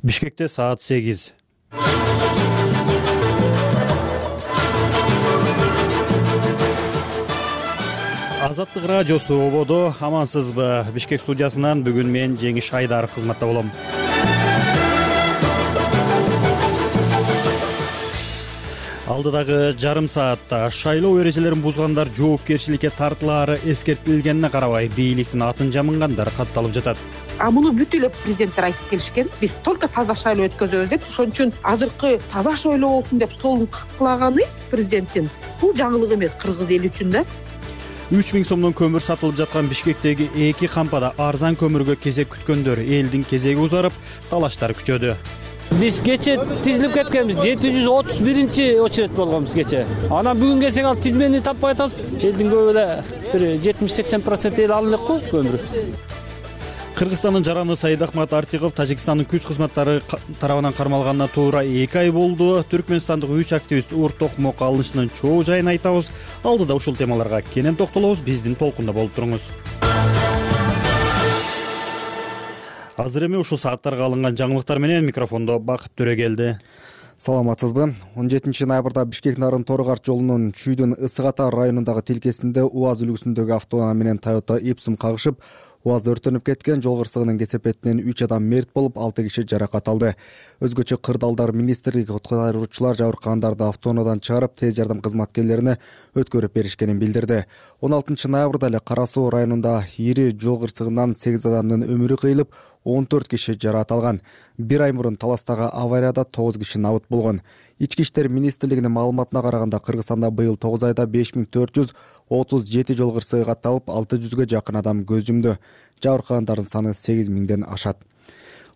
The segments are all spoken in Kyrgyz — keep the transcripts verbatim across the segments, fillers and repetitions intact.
Бишкекте саат сегиз. Азаттык радиосу ободо, амансызбы? Бишкек студиясынан бүгүн мен Жеңиш Айдаров кызматта болом. Алдыдагы жарым саатта шайлоо эрежелерин бузгандар жоопкерчиликке тартылаары эскертилгенине карабай, бийликтин атын жамынгандар катталып жатат. А муну бүт эле президенттер айтып келишкен. Биз только таза шайлоо өткөзөбүз деп, ошон үчүн азыркы таза шайлоо болсун деп столун капкылаганы президенттин бул жаңылык эмес кыргыз эли үчүн да. үч миң сомдон көмүр сатылып жаткан Бишкектеги эки кампада арзан көмүргө кезек күткөндөр элдин кезеги узарып, талаштар күчөдү. Биз кече тизилип кеткенбиз, жети жүз отуз биринчи очередь болгонбуз кече. Анан бүгүн келсек ал тизмени таппай атабыз. Элдин көбү эле бир жетимиш сексен процент эл алып элек го көмүр. Кыргызстандын жараны Саид Ахмат Артиков Тажикстандын күч кызматтары тарабынан кармалганына туура эки ай болду. Түркмөнстандык үч активист Ур Токмок алынышынын чоо жайын айтабыз. Алдыда ушул темаларга кенен токтолобуз. Биздин толкунда болуп туруңуз. Азыр эми ушул сааттарга алынган жаңылыктар менен микрофондо Бакыт Төрөгелди. Саламатсызбы? он жетинчи ноябрда Бишкек Нарын Торгарт жолунун Чүйдүн Ысык Ата районундагы тилкесинде УАЗ үлгүсүндөгү автоунаа менен Toyota Ipsum кагышып, УАЗ өртөнүп кеткен. Жол кырсыгынын кесепетинен үч адам мерт болуп, алты киши жаракат алды. Өзгөчө кырдаалдар министрлиги куткаруучулар жабыркагандарды автоунаадан чыгарып, тез жардам кызматкерлерине өткөрүп беришкенин билдирди. он алтынчы ноябрда эле Кара Суу районунда ири жол кырсыгынан сегиз адамдын өмүрү кыйылып, он төрт киши жаракат алган. Бир ай мурун Таластагы аварияда тогуз киши набыт болгон. Ички иштер министрлигинин маалыматына караганда, Кыргызстанда быйыл тогуз айда беш миң төрт жүз отуз жети жол кырсыгы катталып, алты жүзгө жакын адам көз жумду. Жабыркагандардын саны сегиз миңден ашат.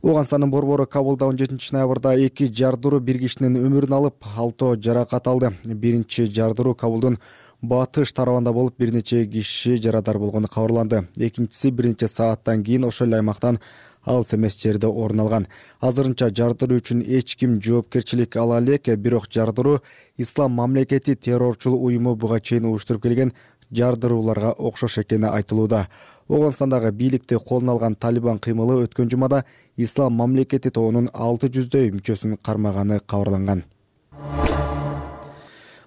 Ооганстандын борбору Кабулда он жетинчи ноябрда эки жардыруу бир кишинин өмүрүн алып, алтоо жаракат алды. Биринчи жардыруу Кабулдун батыш тарабында болуп, бир нече киши жарадар болгону кабарланды. Экинчиси бир нече сааттан кийин ошол эле аймактан алыс эмес жерде орун алган. Азырынча жардыруу үчүн эч ким жоопкерчилик ала элек, бирок жардыруу Ислам мамлекети террорчул уюму буга чейин уюштуруп келген жардырууларга окшош экени айтылууда. Ооганстандагы бийликти колуна алган Талибан кыймылы өткөн жумада Ислам мамлекети тобунун алты жүздөй мүчөсүн кармаганы кабарланган.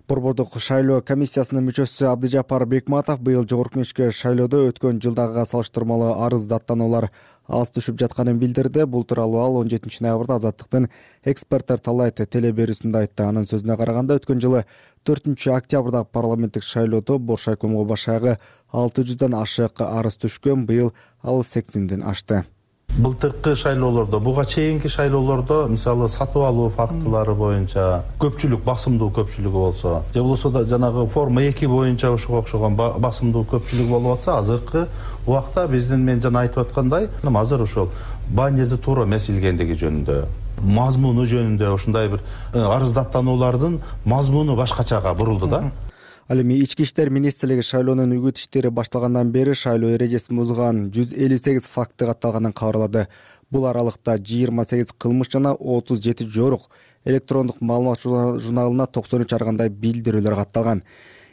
Борбордук шайлоо комиссиясынын мүчөсү Абдыжапар Бекматов быйыл жогорку кеңешке шайлоодо өткөн жылдагыга салыштырмалуу арыз даттануулар аз түшүп жатканын билдирди. Бул тууралуу ал он жетинчи ноябрда Азаттыктын эксперттер талайт телеберүүсүндө айтты. Анын сөзүнө караганда, өткөн жылы төртүнчү октябрдагы парламенттик шайлоодо Бош айкомго башаягы алты жүздөн ашык арыз түшкөн. Быйыл ал сексенден ашты. Былтыркы шайлоолордо, буга чейинки шайлоолордо, мисалы сатып алуу фактылары боюнча көпчүлүк, басымдуу көпчүлүгү болсо, же болбосо да жанагы форма эки боюнча ушуга окшогон басымдуу көпчүлүк болуп атса, азыркы убакта биздин мен жана айтып аткандай, азыр ошол баннерди туура эмес илгендиги жөнүндө, мазмуну жөнүндө ушундай бир арыз даттануулардын мазмуну башкачага бурулду да. Ал эми ички иштер министрлиги шайлоонун үгүт иштери башталгандан бери шайлоо эрежесин бузган жүз элүү сегиз факты катталганын кабарлады. Бул аралыкта жыйырма сегиз кылмыш жана отуз жети жорук, электрондук маалымат журналына токсон үч ар кандай билдирүүлөр катталган.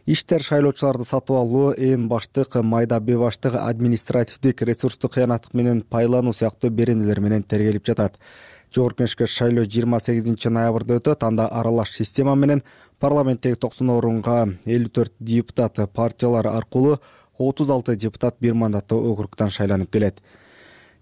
Иштер шайлоочуларды сатып алуу, ээн баштык, майда бебаштык, административдик, ресурстук кыянаттык менен пайлануу сыяктуу беренелер менен тергелип жатат. Жогорку кеңешке шайлоо жыйырма сегизинчи ноябрда өтөт. Анда аралаш система менен парламенттеги токсон орунга элүү төрт депутат партиялар аркылуу отуз алты депутат бир мандаттуу округтан шайланып келет.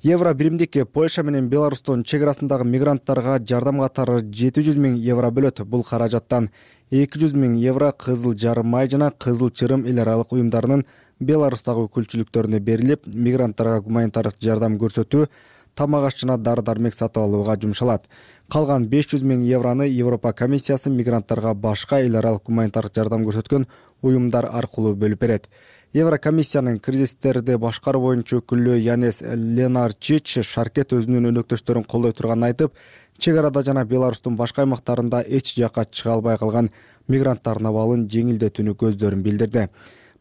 Евро биримдик Польша менен Беларустун чек арасындагы мигранттарга жардам катары жети жүз миң евро бөлөт. Бул каражаттан эки жүз миң евро Кызыл Жарым Май жана Кызыл Чырым эл аралык уюмдарынын Беларустагы өкүлчүлүктөрүнө берилип, мигранттарга гуманитардык жардам көрсөтүү, тамак аш жана дары-дармек сатып алууга жумшалат. Калган беш жүз миң евроны Европа комиссиясы мигранттарга башка эл аралык гуманитардык жардам көрсөткөн уюмдар аркылуу бөлүп берет. Еврокомиссиянын кризистерди башкаруу боюнча өкүлү Янес Ленарчич Шаркет өзүнүн өнөктөштөрүн колдой турганын айтып, чек арада жана Беларустун башка аймактарында эч жакка чыга албай калган мигранттардын абалын жеңилдетүүнү көздөрүн билдирди.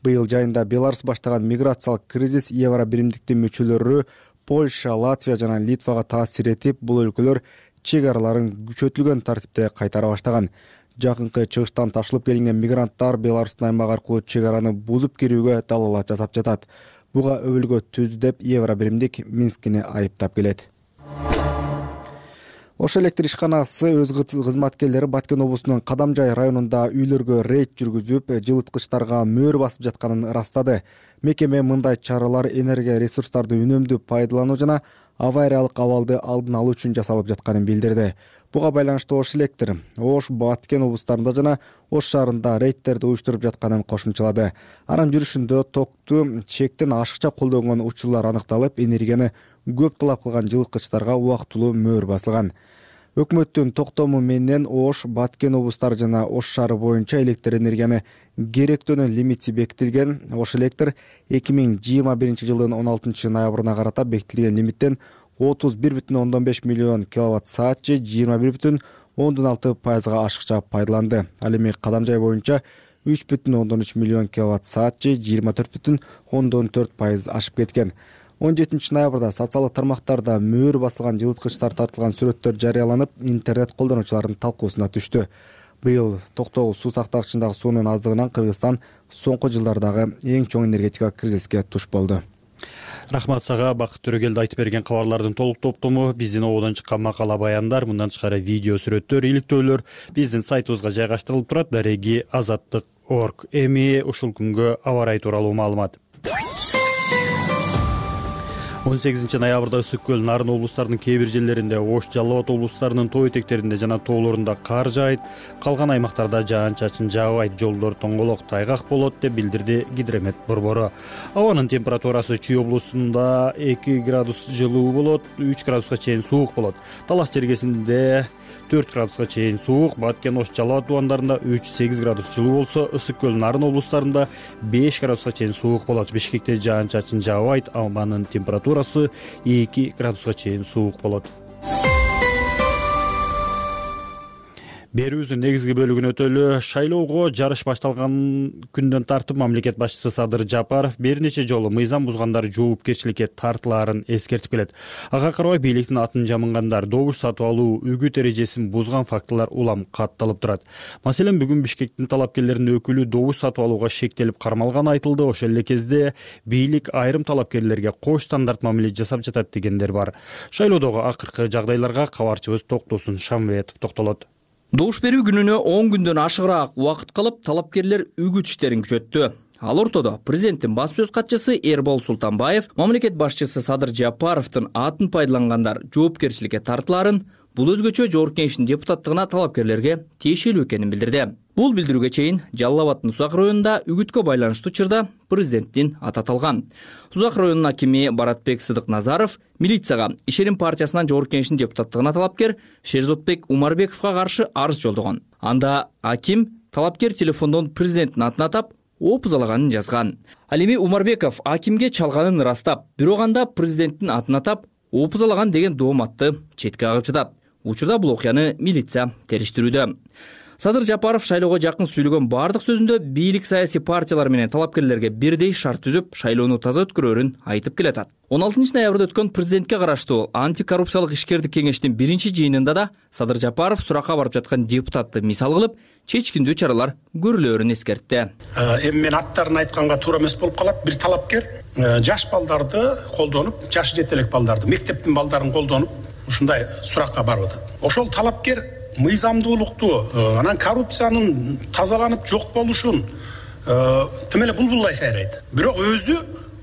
Быйыл жайында Беларус баштаган миграциялык кризис евро биримдиктин мүчөлөрү Польша, Латвия жана Литвага таасир этип, бул өлкөлөр чек араларын күчөтүлгөн тартипте кайтара баштаган. Жакынкы чыгыштан ташылып келинген мигранттар Беларустун аймагы аркылуу чек араны бузуп кирүүгө далалат жасап жатат. Буга өбөлгө түздү деп евро биримдик Минскини айыптап келет. Ош электр ишканасы өз кызматкерлери Баткен облусунун Кадамжай районунда үйлөргө рейд жүргүзүп, жылыткычтарга мөөр басып жатканын ырастады. Мекеме мындай чаралар энергия ресурстарды үнөмдүү пайдалануу жана авариялык абалды алдын алуу үчүн жасалып жатканын билдирди. Буга байланыштуу Ош электр Ош, Баткен облустарында жана Ош шаарында рейдтерди уюштуруп жатканын кошумчалады. Анын жүрүшүндө токту чектен ашыкча колдонгон учурлар аныкталып, энергияны көп талап кылган жылыткычтарга убактылуу мөөр басылган. Өкмөттүн токтому менен Ош, Баткен облустары жана Ош шаары боюнча электр энергияны керектөөнөн лимити бекитилген. Ош электр эки миң жыйырма биринчи жылдын он алтынчы ноябрына карата бекитилген лимиттен отуз бир бүтүн ондон беш миллион киловатт саат же жыйырма бир бүтүн ондон алты пайызга ашыкча пайдаланды. Ал эми Кадамжай боюнча үч бүтүн ондон үч миллион киловатт саат же жыйырма төрт бүтүн ондон төрт пайыз ашып кеткен. он жетинчи ноябрда социалдык тармактарда мөөр басылган жылыткычтар тартылган сүрөттөр жарыяланып, интернет колдонуучулардын талкуусуна түштү. Быйыл токтогул суу сактагычындагы суунун аздыгынан Кыргызстан соңку жылдардагы эң чоң энергетика кризиске туш болду. Рахмат сага, Бакыт Төрөгелди айтып берген кабарлардын толук топтому биздин ободон чыккан макала баяндар, мындан тышкары видео сүрөттөр, иликтөөлөр биздин сайтыбызга жайгаштырылып турат. Дареги азаттык точка орг. Эми ушул күнгө аба ырайы тууралуу маалымат. он сегизинчи ноябрда Ысык көл, Нарын облустарынын кээ бир жерлеринде, Ош, Жалал Абад облустарынын тоо этектеринде жана тоолорунда кар жаайт. Калган аймактарда жаан-чачын жаабайт, жолдор тоңголок, тайгак болот деп билдирди Гидромет борбору. Абанын температурасы Чүй облусунда эки градус жылуу болот, үч градуска чейин суук болот. Талас жергесинде төрт градуска чейин суук, Баткен, Ош, Жалал Абад тубандарында үч сегиз градус жылуу болсо, Ысык көл, Нарын облустарында беш градуска чейин суук болот. Бишкекте жаан-чачын жаабайт, абанын температурасы эки градуска чейин суук болот. Берүүбүздүн негизги бөлүгүн өтөлү. Шайлоого жарыш башталган күндөн тартып мамлекет башчысы Садыр Жапаров бир нече жолу мыйзам бузгандар жоопкерчиликке тартылаарын эскертип келет. Ага карабай бийликтин атын жамынгандар, добуш сатып алуу, үгүт эрежесин бузган фактылар улам катталып турат. Маселен, бүгүн Бишкектин талапкерлеринин өкүлү добуш сатып алууга шектелип кармалганы айтылды. Ошол эле кезде бийлик айрым талапкерлерге кош стандарт мамиле жасап жатат дегендер бар. Шайлоодогу акыркы жагдайларга кабарчыбыз Токтосун Шамбетов токтолот. Добуш берүү күнүнө он күндөн ашыгыраак убакыт калып, талапкерлер үгүт иштерин күчөттү. Ал ортодо президенттин баш сөз катчысы Эрбол Султанбаев мамлекет башчысы Садыр Жапаровдун атын пайдалангандар жоопкерчиликке тартылаарын, бул өзгөчө жогорку кеңештин депутаттыгына талапкерлерге тиешелүү экенин билдирди. Бул билдирүүгө чейин Жалал Абадтын Сузак районунда үгүткө байланыштуу чырда президенттин аты аталган. Сузак районунун акими Баратбек Сыдык Назаров милицияга Ишеним партиясынан жогорку кеңештин депутаттыгына талапкер Шерзотбек Умарбековго каршы арыз жолдогон. Анда аким талапкер телефондон президенттин атын атап, опузалаганын жазган. Ал эми Умарбеков акимге чалганын ырастап, бирок анда президенттин атын атап, опузалаган деген дооматты четке кагып жатат. Учурда бул окуяны милиция териштирүүдө. Садыр Жапаров шайлоого жакын сүйлөгөн бардык сөзүндө бийлик саясий партиялар менен талапкерлерге бирдей шарт түзүп, шайлоону таза өткөрөөрүн айтып келатат. он алтынчы ноябрда өткөн президентке караштуу антикоррупциялык ишкердик кеңештин биринчи жыйынында да Садыр Жапаров суракка барып жаткан депутатты мисал кылып, чечкиндүү чаралар көрүлөөрүн эскертти. Эми мен аттарын айтканга туура эмес болуп калат. Бир талапкер жаш балдарды колдонуп, жашы жете элек балдарды, мектептин балдарын колдонуп, ушундай суракка барып атат. Ошол талапкер мыйзамдуулукту, анан коррупциянын тазаланып жок болушун тим эле булбулдай сайрайт. Бирок өзү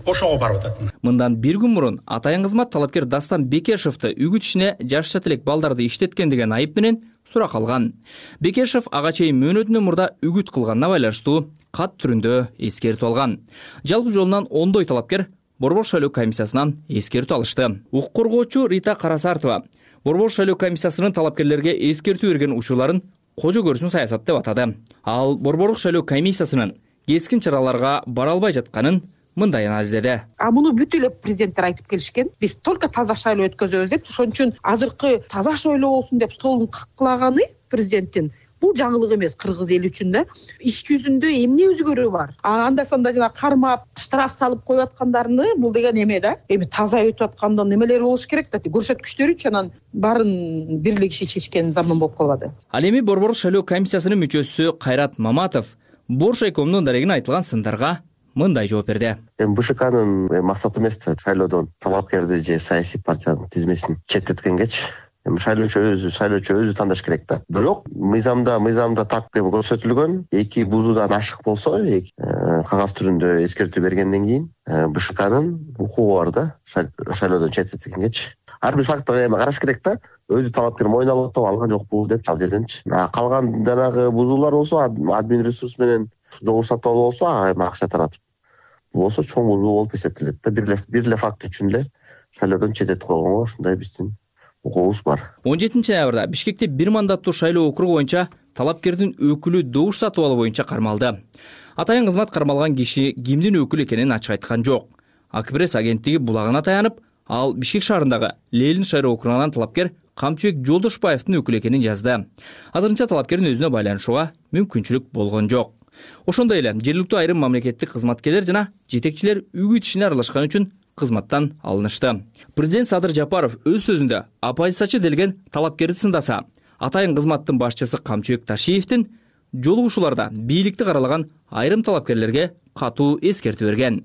ошого барып атат. Мындан бир күн мурун атайын кызмат талапкер Дастан Бекешевди үгүт ишине жаш жете элек балдарды иштеткен деген айып менен сурак алган. Бекешев ага чейин мөөнөтүнөн мурда үгүт кылганына байланыштуу кат түрүндө эскертип алган. Жалпы жолунан ондой талапкер Борбор шайлоо комиссиясынан эскертүү алышты. Укук коргоочу Рита Карасартова Борбор шайлоо комиссиясынын талапкерлерге эскертүү берген учурларын кожо көрсүн саясат деп атады. Ал Борборлук шайлоо комиссиясынын кескин чараларга бара албай жатканын мындай анализдеди. А муну бүт эле президенттер айтып келишкен. Биз только таза шайлоо өткөзөбүз деп, ошон үчүн азыркы таза шайлоо болсун деп столун каккылаганы президенттин бул жаңылык эмес кыргыз эли үчүн да. Иш жүзүндө эмне өзгөрүү бар? А анда санда жана кармап, штраф салып коюп аткандарны бул деген эме да. Эми таза өтүп атканда немелер болуш керек да. Көрсөткүчтөрүчү анан барын бирлигиши чечкен заман болуп калбады. Ал эми Борбор шайлоо комиссиясынын мүчөсү Кайрат Маматов Боршайкомдун дарегине айтылган сындарга мындай жооп берди. Эми БШКнын максаты эмес шайлоодон талапкерди же саясий партиянын тизмесин четтеткенгечи эми шайлоочу өзү шайлоочу өзү тандаш керек да. Бирок мыйзамда мыйзамда так деп көрсөтүлгөн эки бузуудан ашык болсо кагаз түрүндө эскертүү бергенден кийин БШКнын укугу бар да, шайлоодон четтеткенгечи. Ар бир фактыга эми караш керек да. Өзү талапкер мойнуна алып атып алган жокпу деп ал жерденчи. Калган жанагы бузуулар болсо админ ресурс менен жолу сатып алуу болсо ага акча таратып. Бул болсо чоң бузуу болуп эсептелет да. Бир эле бир эле факт үчүн эле шайлоодон четтетип койгонго ушундай биздин укугубуз бар. он жетинчи ноябрда Бишкекте бир мандаттуу шайлоо округу боюнча талапкердин өкүлү добуш сатып алуу боюнча кармалды. Атайын кызмат кармалган киши кимдин өкүлү экенин ачык айткан жок. Акпресс агенттиги булагына таянып, ал Бишкек шаарындагы Ленин шайлоо округунан талапкер Камчыбек Жолдошбаевдин өкүлү экенин жазды. Азырынча талапкердин өзүнө байланышууга мүмкүнчүлүк болгон жок. Ошондой эле жергиликтүү айрым мамлекеттик кызматкерлер жана жетекчилер үгүт ишине аралашкан үчүн кызматтан алынышты. Президент Садыр Жапаров өз сөзүндө оппозициячы делген талапкерди сындаса, атайын кызматтын башчысы Камчыбек Ташиевдин жолугушууларда бийликти каралаган айрым талапкерлерге катуу эскертүү берген.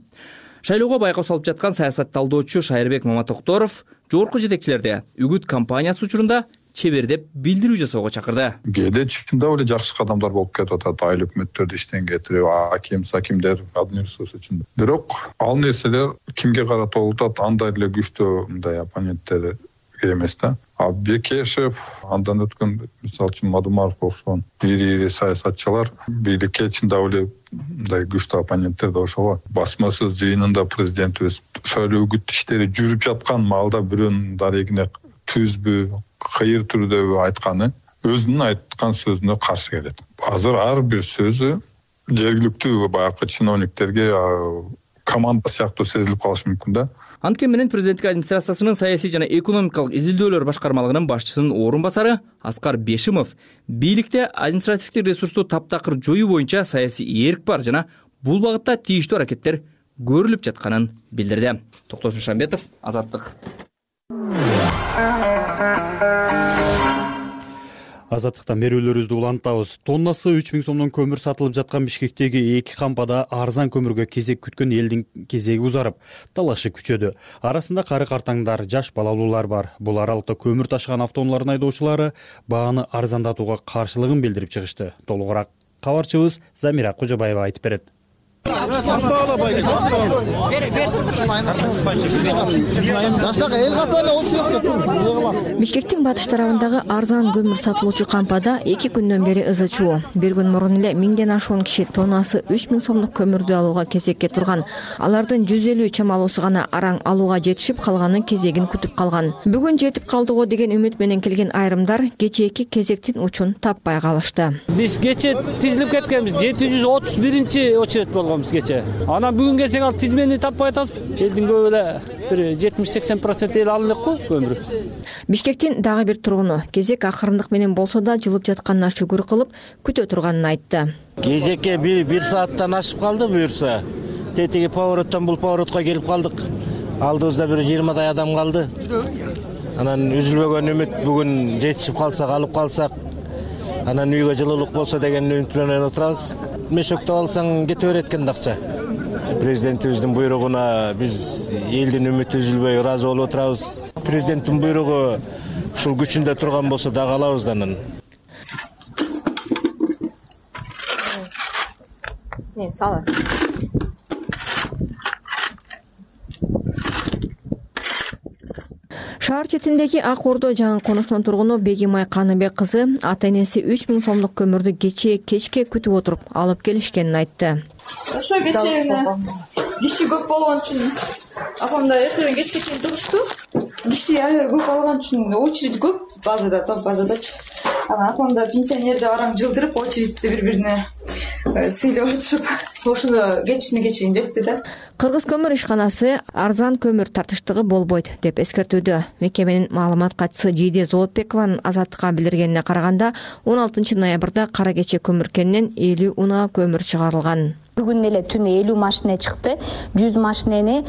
Шайлоого байкоо салып жаткан саясат талдоочу Шайырбек Маматокторов жогорку жетекчилерди үгүт кампаниясы учурунда чебердеп билдирүү жасоого чакырды. Кээде чында эле жакшы кадамдар болуп кетип атат, айыл өкмөттөрдү иштен кетирип, аким, сакимдер, администрация үчүн. Бирок ал нерселер кимге карата болуп атат, андай эле күчтүү мындай оппоненттер эмес да. А Бекешев, андан өткөн мисалы үчүн Мадумаров окшогон ири-ири саясатчылар бийликке чында эле мындай күчтүү оппоненттер да ошого басмасыз жыйынында президентибиз шайлоо үгүт иштери жүрүп жаткан маалда бирөөнүн дарегине түзбү, кайыр түрдө айтканы өзүнүн айткан сөзүнө каршы келет. Азыр ар бир сөзү жергиликтүү баягы чиновниктерге команда сыяктуу сезилип калышы мүмкүн да. Анткени менен президенттик администрациясынын саясий жана экономикалык изилдөөлөр башкармалыгынын башчысынын орун басары Аскар Бешимов бийликте административдик ресурсту таптакыр жоюу боюнча саясий эрк бар жана бул багытта тийиштүү аракеттер көрүлүп жатканын билдирди. Токтосун Шамбетов, Азаттык. Азаттыктан берүүлөрүбүздү улантабыз. Тоннасы үч миң сомдон көмүр сатылып жаткан Бишкектеги эки кампада арзан көмүргө кезек күткөн элдин кезеги узарып, талашы күчөдү. Арасында кары картаңдар, жаш балалуулар бар. Бул аралыкта көмүр ташыган автоунаалардын айдоочулары бааны арзандатууга каршылыгын билдирип чыгышты. Толугураак кабарчыбыз Замира Кожобаева айтып берет. Бишкектин батыш тарабындагы арзан көмүр сатылуучу кампада эки күндөн бери ызы чуу. Бир күн мурун эле миңден ашуун киши тоннасы үч миң сомдук көмүрдү алууга кезекке турган. Алардын жүз элүү чамалуусу гана араң алууга жетишип, калганы кезегин күтүп калган. Бүгүн жетип калдыго деген үмүт менен келген айрымдар кечээки кезектин учун таппай калышты. Биз кече тизилип кеткенбиз, жети жүз отуз биринчи очередь болгон. Кече. Анан бүгүн келсек ал тизмени таппай атабыз. Элдин көбү эле бир жетимиш сексен процент эл алып элек го көмүр. Бишкектин дагы бир тургуну кезек акырындык менен болсо да жылып жатканына шүгүр кылып күтө турганын айтты. Кезекке бир сааттан ашып калды буюрса. Тетиги повороттон бул поворотко келип калдык. Алдыбызда бир жыйырмадай адам калды. Анан үзүлбөгөн үмүт бүгүн жетишип калсак, алып калсак, анан үйгө жылуулук болсо деген үмүт менен отурабыз. Мешөктө алсаң кете берет экен акча. Президентибиздин буйругуна биз элдин үмүтү үзүлбөй ыраазы болуп отурабыз. Президенттин буйругу ушул күчүндө турган болсо дагы алабыз да анан. Мен сала. Шаар четиндеги Ак Ордо жаңы конуштун тургуну Бегимай Каныбек кызы ата энеси үч миң сомдук көмүрдү кечээ кечке күтүп отуруп алып келишкенин айтты. Ошо кечээ киши көп болгон үчүн апамда эртеден кечке чейин турушту. Киши аябай көп алган үчүн очередь көп базада, топ базадачы. Анан апамда пенсионерди араң жылдырып очередти бири-бирине сыйлап отуруп, ошондо кечине чейин жетти да. Кыргыз көмүр ишканасы арзан көмүр тартыштыгы болбойт деп эскертүүдө. Мекеменин маалымат катчысы Жийде Зоотбекованын Азаттыкка билдиргенине караганда, он алтынчы ноябрда кара кече көмүркенинен элүү унаа көмүр чыгарылган. Бүгүн эле түнү элүү машина чыкты. жүз машинени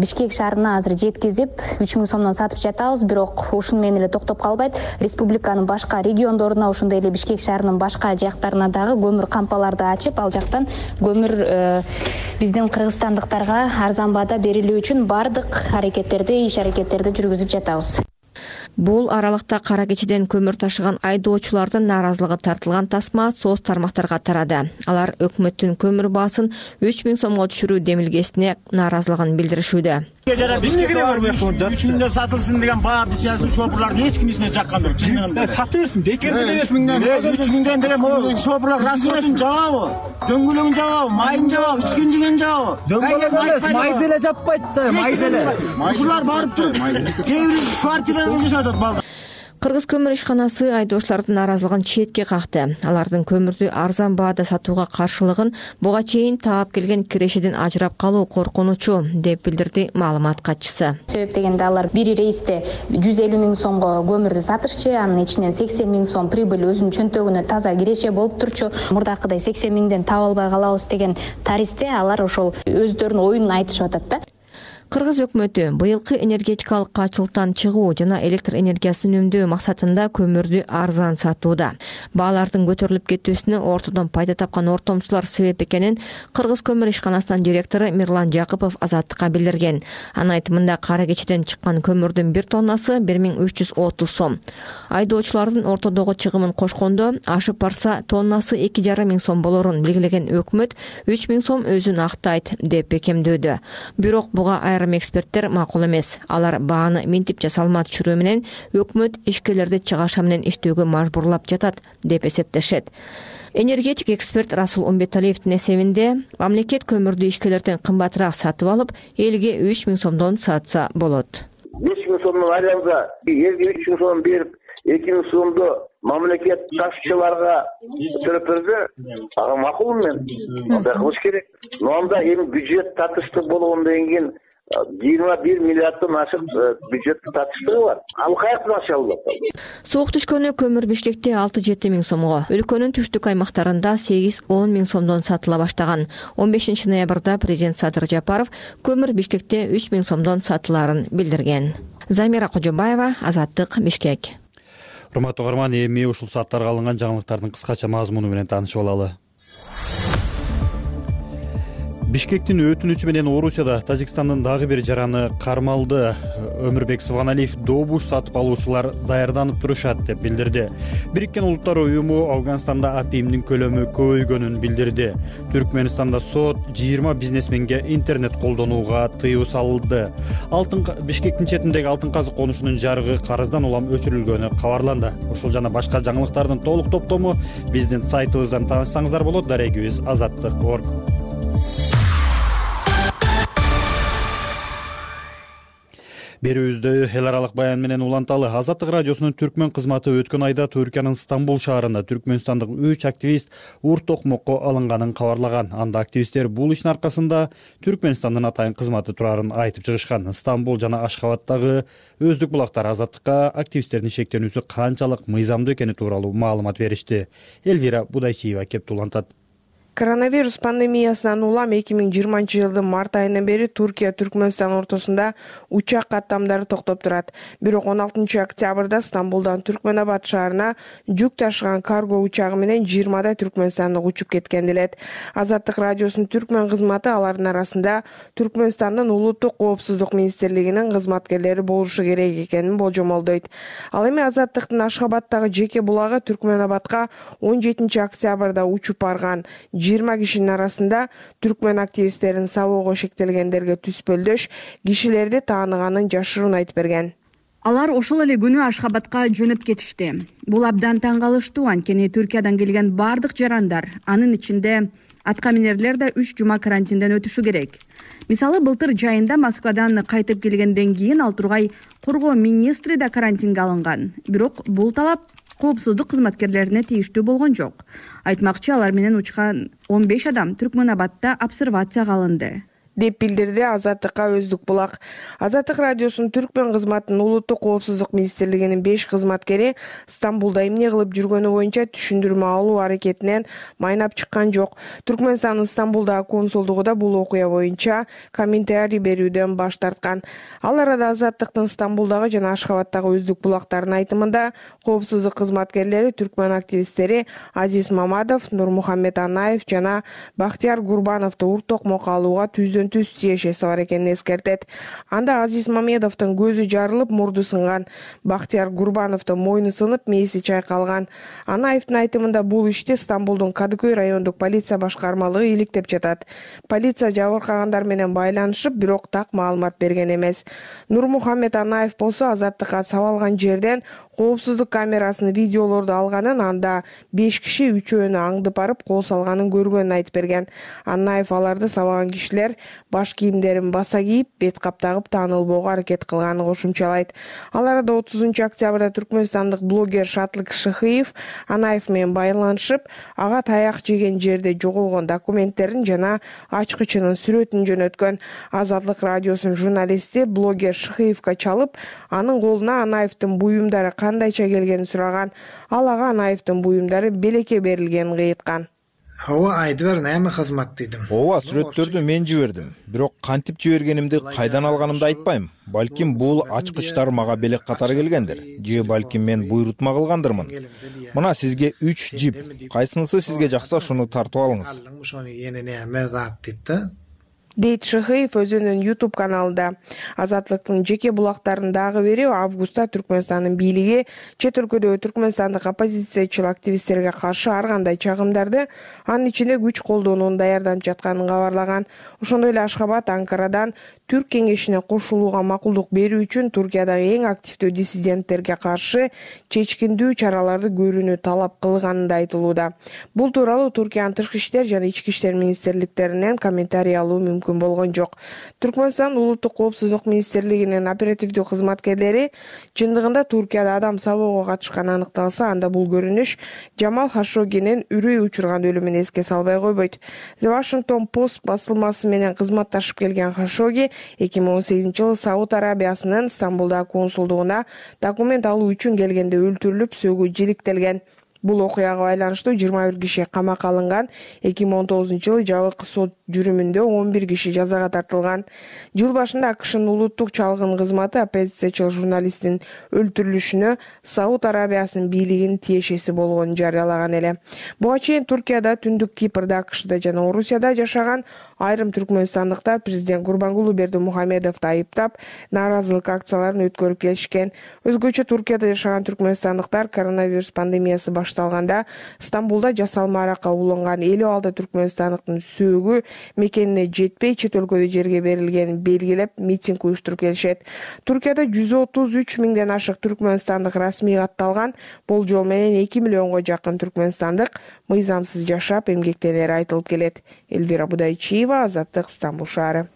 Бишкек шаарына азыр жеткизип, үч миң сомдон сатып жатабыз, бирок ушун менен эле токтоп калбайт. Республиканын башка региондоруна, ошондой эле Бишкек шаарынын башка жактарына дагы көмүр кампаларды ачып, ал жактан көмүр биздин кыргызстандыктарга арзан баада берилүү үчүн бардык аракеттерди, иш аракеттерди жүргүзүп жатабыз. Бул аралыкта кара кечеден көмүр ташыган айдоочулардын нааразылыгы тартылган тасма соц тармактарга тарады. Алар өкмөттүн көмүр баасын үч миң сомго түшүрүү демилгесине нааразылыгын билдиришүүдө. үч миңден сатылсын деген баа бисясын шопурларды эч ким эсине жаккан жок. Сатып бекер үч миңден үч миңден деле могу шопурлар расходун жабабы, дөңгөлөгүн жабабы, майын жабабы, ичкен жеген жабабы. Дөңгөлөк май деле жаппайт да, май деле. Булар барып туруп кээ бир квартирада жашап атат. Кыргыз көмүр ишканасы айдоочулардын нааразылыгын четке какты. Алардын көмүрдү арзан баада сатууга каршылыгын буга чейин таап келген кирешеден ажырап калуу коркунучу деп билдирди маалымат катчысы. Себеп дегенде алар бир рейсте жүз элүү миң сомго көмүрдү сатышчы, анын ичинен сексен миң сом прибыль өзүнүн чөнтөгүнө таза киреше болуп турчу. Мурдакыдай сексен миңден таап албай калабыз деген таристе алар ошол өздөрүнүн оюнун айтышып атат да. Кыргыз өкмөтү быйылкы энергетикалык качылыктан чыгуу жана электр энергиясын үнөмдөө максатында көмүрдү арзан сатууда. Баалардын көтөрүлүп кетүүсүнө ортодон пайда тапкан ортомчулар себеп экенин Кыргыз көмүр ишканасынын директору Мирлан Жакыпов Азаттыкка билдирген. Анын айтымында кара кечеден чыккан көмүрдүн бир тоннасы бир миң үч жүз отуз сом. Айдоочулардын ортодогу чыгымын кошкондо ашып барса тоннасы эки жарым миң сом болорун белгилеген өкмөт үч миң сом өзүн актайт деп бекемдөөдө. Бирок буга айрым эксперттер макул эмес. Алар бааны минтипче салмат түшүрүү менен өкмөт ишкерлерди чыгаша менен иштөөгө мажбурлап жатат деп эсептешет. Энергетик эксперт Расул Умбеталиевдин эсебинде мамлекет көмүрдү ишкерлерден кымбатыраак сатып алып, элге үч миң сомдон сатса болот. беш миң сомдон айламга элге үч миң сом берип, эки миң сомду мамлекет ташчыларга төлөп берсе, ага макулмун мен. Андай кылыш керек. Но анда эми бюджет татыштык болгондон кийин жыйырма бир миллиарддан ашык бюджеттик татыштыгы бар. Ал каяктан аша алат? Суук түшкөнү көмүр Бишкекте алты жети миң сомго, өлкөнүн түштүк аймактарында сегиз он миң сомдон сатыла баштаган. он бешинчи ноябрда президент Садыр Жапаров көмүр Бишкекте үч миң сомдон сатылаарын билдирген. Замира Кожобаева, Азаттык, Бишкек. Урматтуу угарман, эми ушул сааттарга алынган жаңылыктардын кыскача мазмуну менен таанышып алалы. Бишкектин өтүнүчү менен Орусияда Тажикстандын дагы бир жараны кармалды. Өмүрбек Сываналиев добуш сатып алуучулар даярданып турушат деп билдирди. Бириккен Улуттар уюму Афганстанда апимдин көлөмү көбөйгөнүн билдирди. Түркмөнстанда сот жыйырма бизнесменге интернет колдонууга тыюу салынды. Алтын Бишкектин четиндеги алтын казык конушунун жарыгы карыздан улам өчүрүлгөнү кабарланды. Ушул жана башка жаңылыктардын толук топтому биздин сайтыбыздан таанышсаңыздар болот. Дарегибиз азаттык точка орг. Берүүбүздө эл аралык баян менен уланталы. Азаттык радиосунун түркмөн кызматы өткөн айда Түркиянын Стамбул шаарында түркмөнстандык үч активист ур токмокко алынганын кабарлаган. Анда активисттер бул иштин аркасында Түркмөнстандын атайын кызматы турарын айтып чыгышкан. Стамбул жана Ашхабадтагы өздүк булактар Азаттыкка активисттердин шектенүүсү канчалык мыйзамдуу экени тууралуу маалымат беришти. Элвира Будайчиева кеп улантат. Коронавирус пандемиясынан улам эки миң жыйырманчы жылдын март айынан бери Туркия Түркмөнстан ортосунда учак каттамдары токтоп турат. Бирок он алтынчы октябрда Стамбулдан Түркмөнабад шаарына жүк ташыган карго учагы менен жыйырмадай түркмөнстандык учуп кеткен делет. Азаттык радиосунун түркмөн кызматы алардын арасында Түркмөнстандын улуттук коопсуздук министрлигинин кызматкерлери болушу керек экенин болжомолдойт. Ал эми Азаттыктын Ашхабадтагы жеке булагы Түркмөнабадка он жетинчи октябрда учуп барган. жыйырма кишинин арасында түркмөн активисттерин сабоого шектелгендерге түспөлдөш кишилерди тааныганын жашыруун айтып берген. Алар ошол эле күнү Ашхабадка жөнөп кетишти. Бул абдан таң калыштуу, анткени Түркиядан келген бардык жарандар, анын ичинде атка минерлер да үч жума карантинден өтүшү керек. Мисалы, былтыр жайында Москвадан кайтып келгенден кийин ал тургай коргоо министри да карантинге алынган. Бирок бул талап коопсуздук кызматкерлерине тийиштүү болгон жок. Айтмакчы, алар менен учкан он беш адам Түркмөнабадта обсервацияга алынды деп билдирди Азаттыкка өздүк булак. Азаттык радиосунун түркмөн кызматынын улуттук коопсуздук министрлигинин беш кызматкери Стамбулда эмне кылып жүргөнү боюнча түшүндүрмө алуу аракетинен майнап чыккан жок. Түркмөнстандын Стамбулдагы консулдугу да бул окуя боюнча комментарий берүүдөн баш тарткан. Ал арада Азаттыктын Стамбулдагы жана Ашхабадтагы өздүк булактарынын айтымында коопсуздук кызматкерлери түркмөн активисттери Азиз Мамадов, Нурмухаммед Анаев жана Бактияр Гурбановду ур токмокко алууга түздөн жүздөн түз тиешеси бар экенин эскертет. Анда Азиз Мамедовдун көзү жарылып, мурду сынган. Бактияр Гурбановдун мойну сынып, мээси чайкалган. Анаевдин айтымында бул ишти Стамбулдун Кадыкөй райондук полиция башкармалыгы иликтеп жатат. Полиция жабыркагандар менен байланышып, бирок так маалымат берген эмес. Нурмухаммед Анаев болсо Азаттыкка сабалган жерден коопсуздук камерасынын видеолорду алганын, анда беш киши үчөөнү аңдып барып кол салганын көргөнүн айтып берген. Анаев аларды сабаган кишилер баш кийимдерин баса кийип, бет кап тагып таанылбоого аракет кылганын кошумчалайт. Ал арада отузунчу октябрда түркмөнстандык блогер Шатлык Шыхыев Анаев менен байланышып, ага таяк жеген жерде жоголгон документтерин жана ачкычынын сүрөтүн жөнөткөн. Азаттык радиосунун журналисти блогер Шыхыевка чалып, анын колуна Анаевдин буюмдары кандайча келгенин сураган. Ал ага Анаевдин буюмдары белекке берилгенин кыйыткан. Ооба, айтып берин, эми кызмат дедим. Ооба, сүрөттөрдү мен жибердим. Бирок кантип жибергенимди, кайдан алганымды айтпайм. Балким бул ачкычтар мага белек катары келгендир. Же балким мен буйрутма кылгандырмын. Мына сизге үч жип. Кайсынысы сизге жакса ошону тартып алыңыз. Ошону эне эме зат деп да. Дейт Шыхыев өзүнүн YouTube каналында. Азаттыктын жеке булактарын дагы бири августта Түркмөнстандын бийлиги чет өлкөдөгү түркмөнстандык оппозициячыл активисттерге каршы ар кандай чагымдарды, анын ичинде күч колдонууну даярдап жатканын кабарлаган. Ошондой эле Ашхабад Анкарадан Түрк кеңешине кошулууга макулдук берүү үчүн Туркиядагы эң активдүү диссиденттерге каршы чечкиндүү чараларды көрүүнү талап кылганы да айтылууда. Бул тууралуу Туркиянын тышкы иштер жана ички иштер министрликтеринен комментарий алуу мүмкүн болгон жок. Түркмөнстан улуттук коопсуздук министрлигинин оперативдүү кызматкерлери чындыгында Туркияда адам сабоого катышканы аныкталса, анда бул көрүнүш Жамал Хашогинин үрөй учурган өлүмүн эске салбай койбойт. The Washington Post басылмасы менен кызматташып келген Хашоги эки миң он сегизинчи жылы Сауд Арабиясынын Стамбулдагы консулдугуна документ алуу үчүн келгенде өлтүрүлүп, сөөгү жиликтелген. Бул окуяга байланыштуу жыйырма бир киши камакка алынган. эки миң он тогузунчу жылы жабык сот жүрүмүндө он бир киши жазага тартылган. Жыл башында АКШнын улуттук чалгын кызматы оппозициячыл журналисттин өлтүрүлүшүнө Сауд Арабиясынын бийлигинин тиешеси болгонун жарыялаган эле. Буга чейин Туркияда, Түндүк Кипрда, АКШда жана Орусияда жашаган айрым түркмөнстандыктар президент Гурбангулы Бердимухамедовду айыптап, нааразылык акцияларын өткөрүп келишкен. Өзгөчө Туркияда жашаган түркмөнстандыктар коронавирус пандемиясы башталганда Стамбулда жасалма аракка уланган элүү алты түркмөнстандыктын сөөгү мекенине жетпей чет өлкөдө жерге берилгенин белгилеп, митинг уюштуруп келишет. Туркияда жүз отуз үч миңден ашык түркмөнстандык расмий катталган. Болжол менен эки миллионго жакын түркмөнстандык мыйзамсыз жашап, эмгектенери айтылып келет. Эльвира Будайчиева, Азаттык, Стамбул шаары.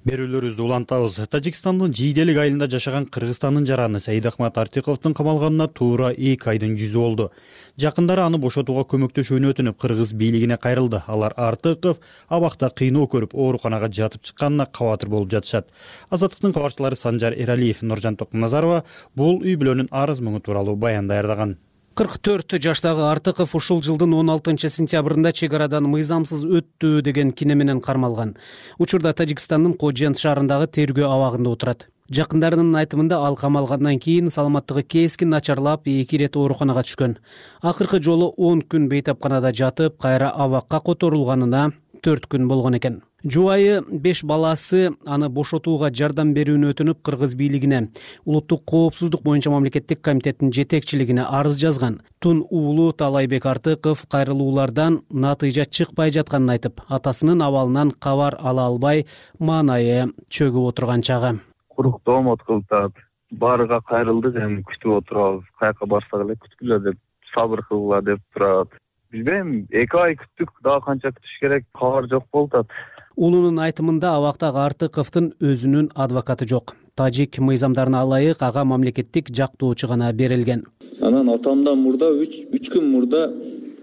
Берүүлөрүбүздү улантабыз. Тажикстандын Жийделик айылында жашаган Кыргызстандын жараны Саидахмат Артиковдун камалганына туура эки айдын жүзү болду. Жакындары аны бошотууга көмөктөшүүнү өтүнүп, кыргыз бийлигине кайрылды. Алар Артиков абакта кыйноо көрүп, ооруканага жатып чыкканына кабатыр болуп жатышат. Азаттыктын кабарчылары Санжар Эралиев, Нуржан Токмуназарова бул үй бүлөнүн арыз мұңы тууралуу баян даярдаган. кырк төрт жаштагы Артыков ушул жылдын он алтынчы сентябрында чек арадан мыйзамсыз өттү деген кине менен кармалган. Учурда Тажикстандын Кожент шаарындагы тергөө абагында отурат. Жакындарынын айтымында ал камалгандан кийин саламаттыгы кескин начарлап, эки ирет ооруканага түшкөн. Акыркы жолу он күн бейтапканада жатып, кайра абакка которулганына төрт күн болгон экен. Жубайы беш баласы аны бошотууга жардам берүүнү өтүнүп, кыргыз бийлигине, улуттук коопсуздук боюнча мамлекеттик комитеттин жетекчилигине арыз жазган. Тун уулу Талайбек Артыков кайрылуулардан натыйжа чыкпай жатканын айтып, атасынын абалынан кабар ала албай, маанайы чөгүп отурган чагы. Куруктуу омот кылтат. Барыга кайрылдык, эми күтүп отурабыз. Каяка барсак эле күткүлө деп, сабыр кылгыла деп турат. Билбейм, эки ай күттүк, дагы канча күтүш керек, кабар жок болуп атат. Уулунун айтымында абактагы Артыковдун өзүнүн адвокаты жок. Тажик мыйзамдарына ылайык ага мамлекеттик жактоочу гана берилген. Анан атамдан мурда үч күн мурда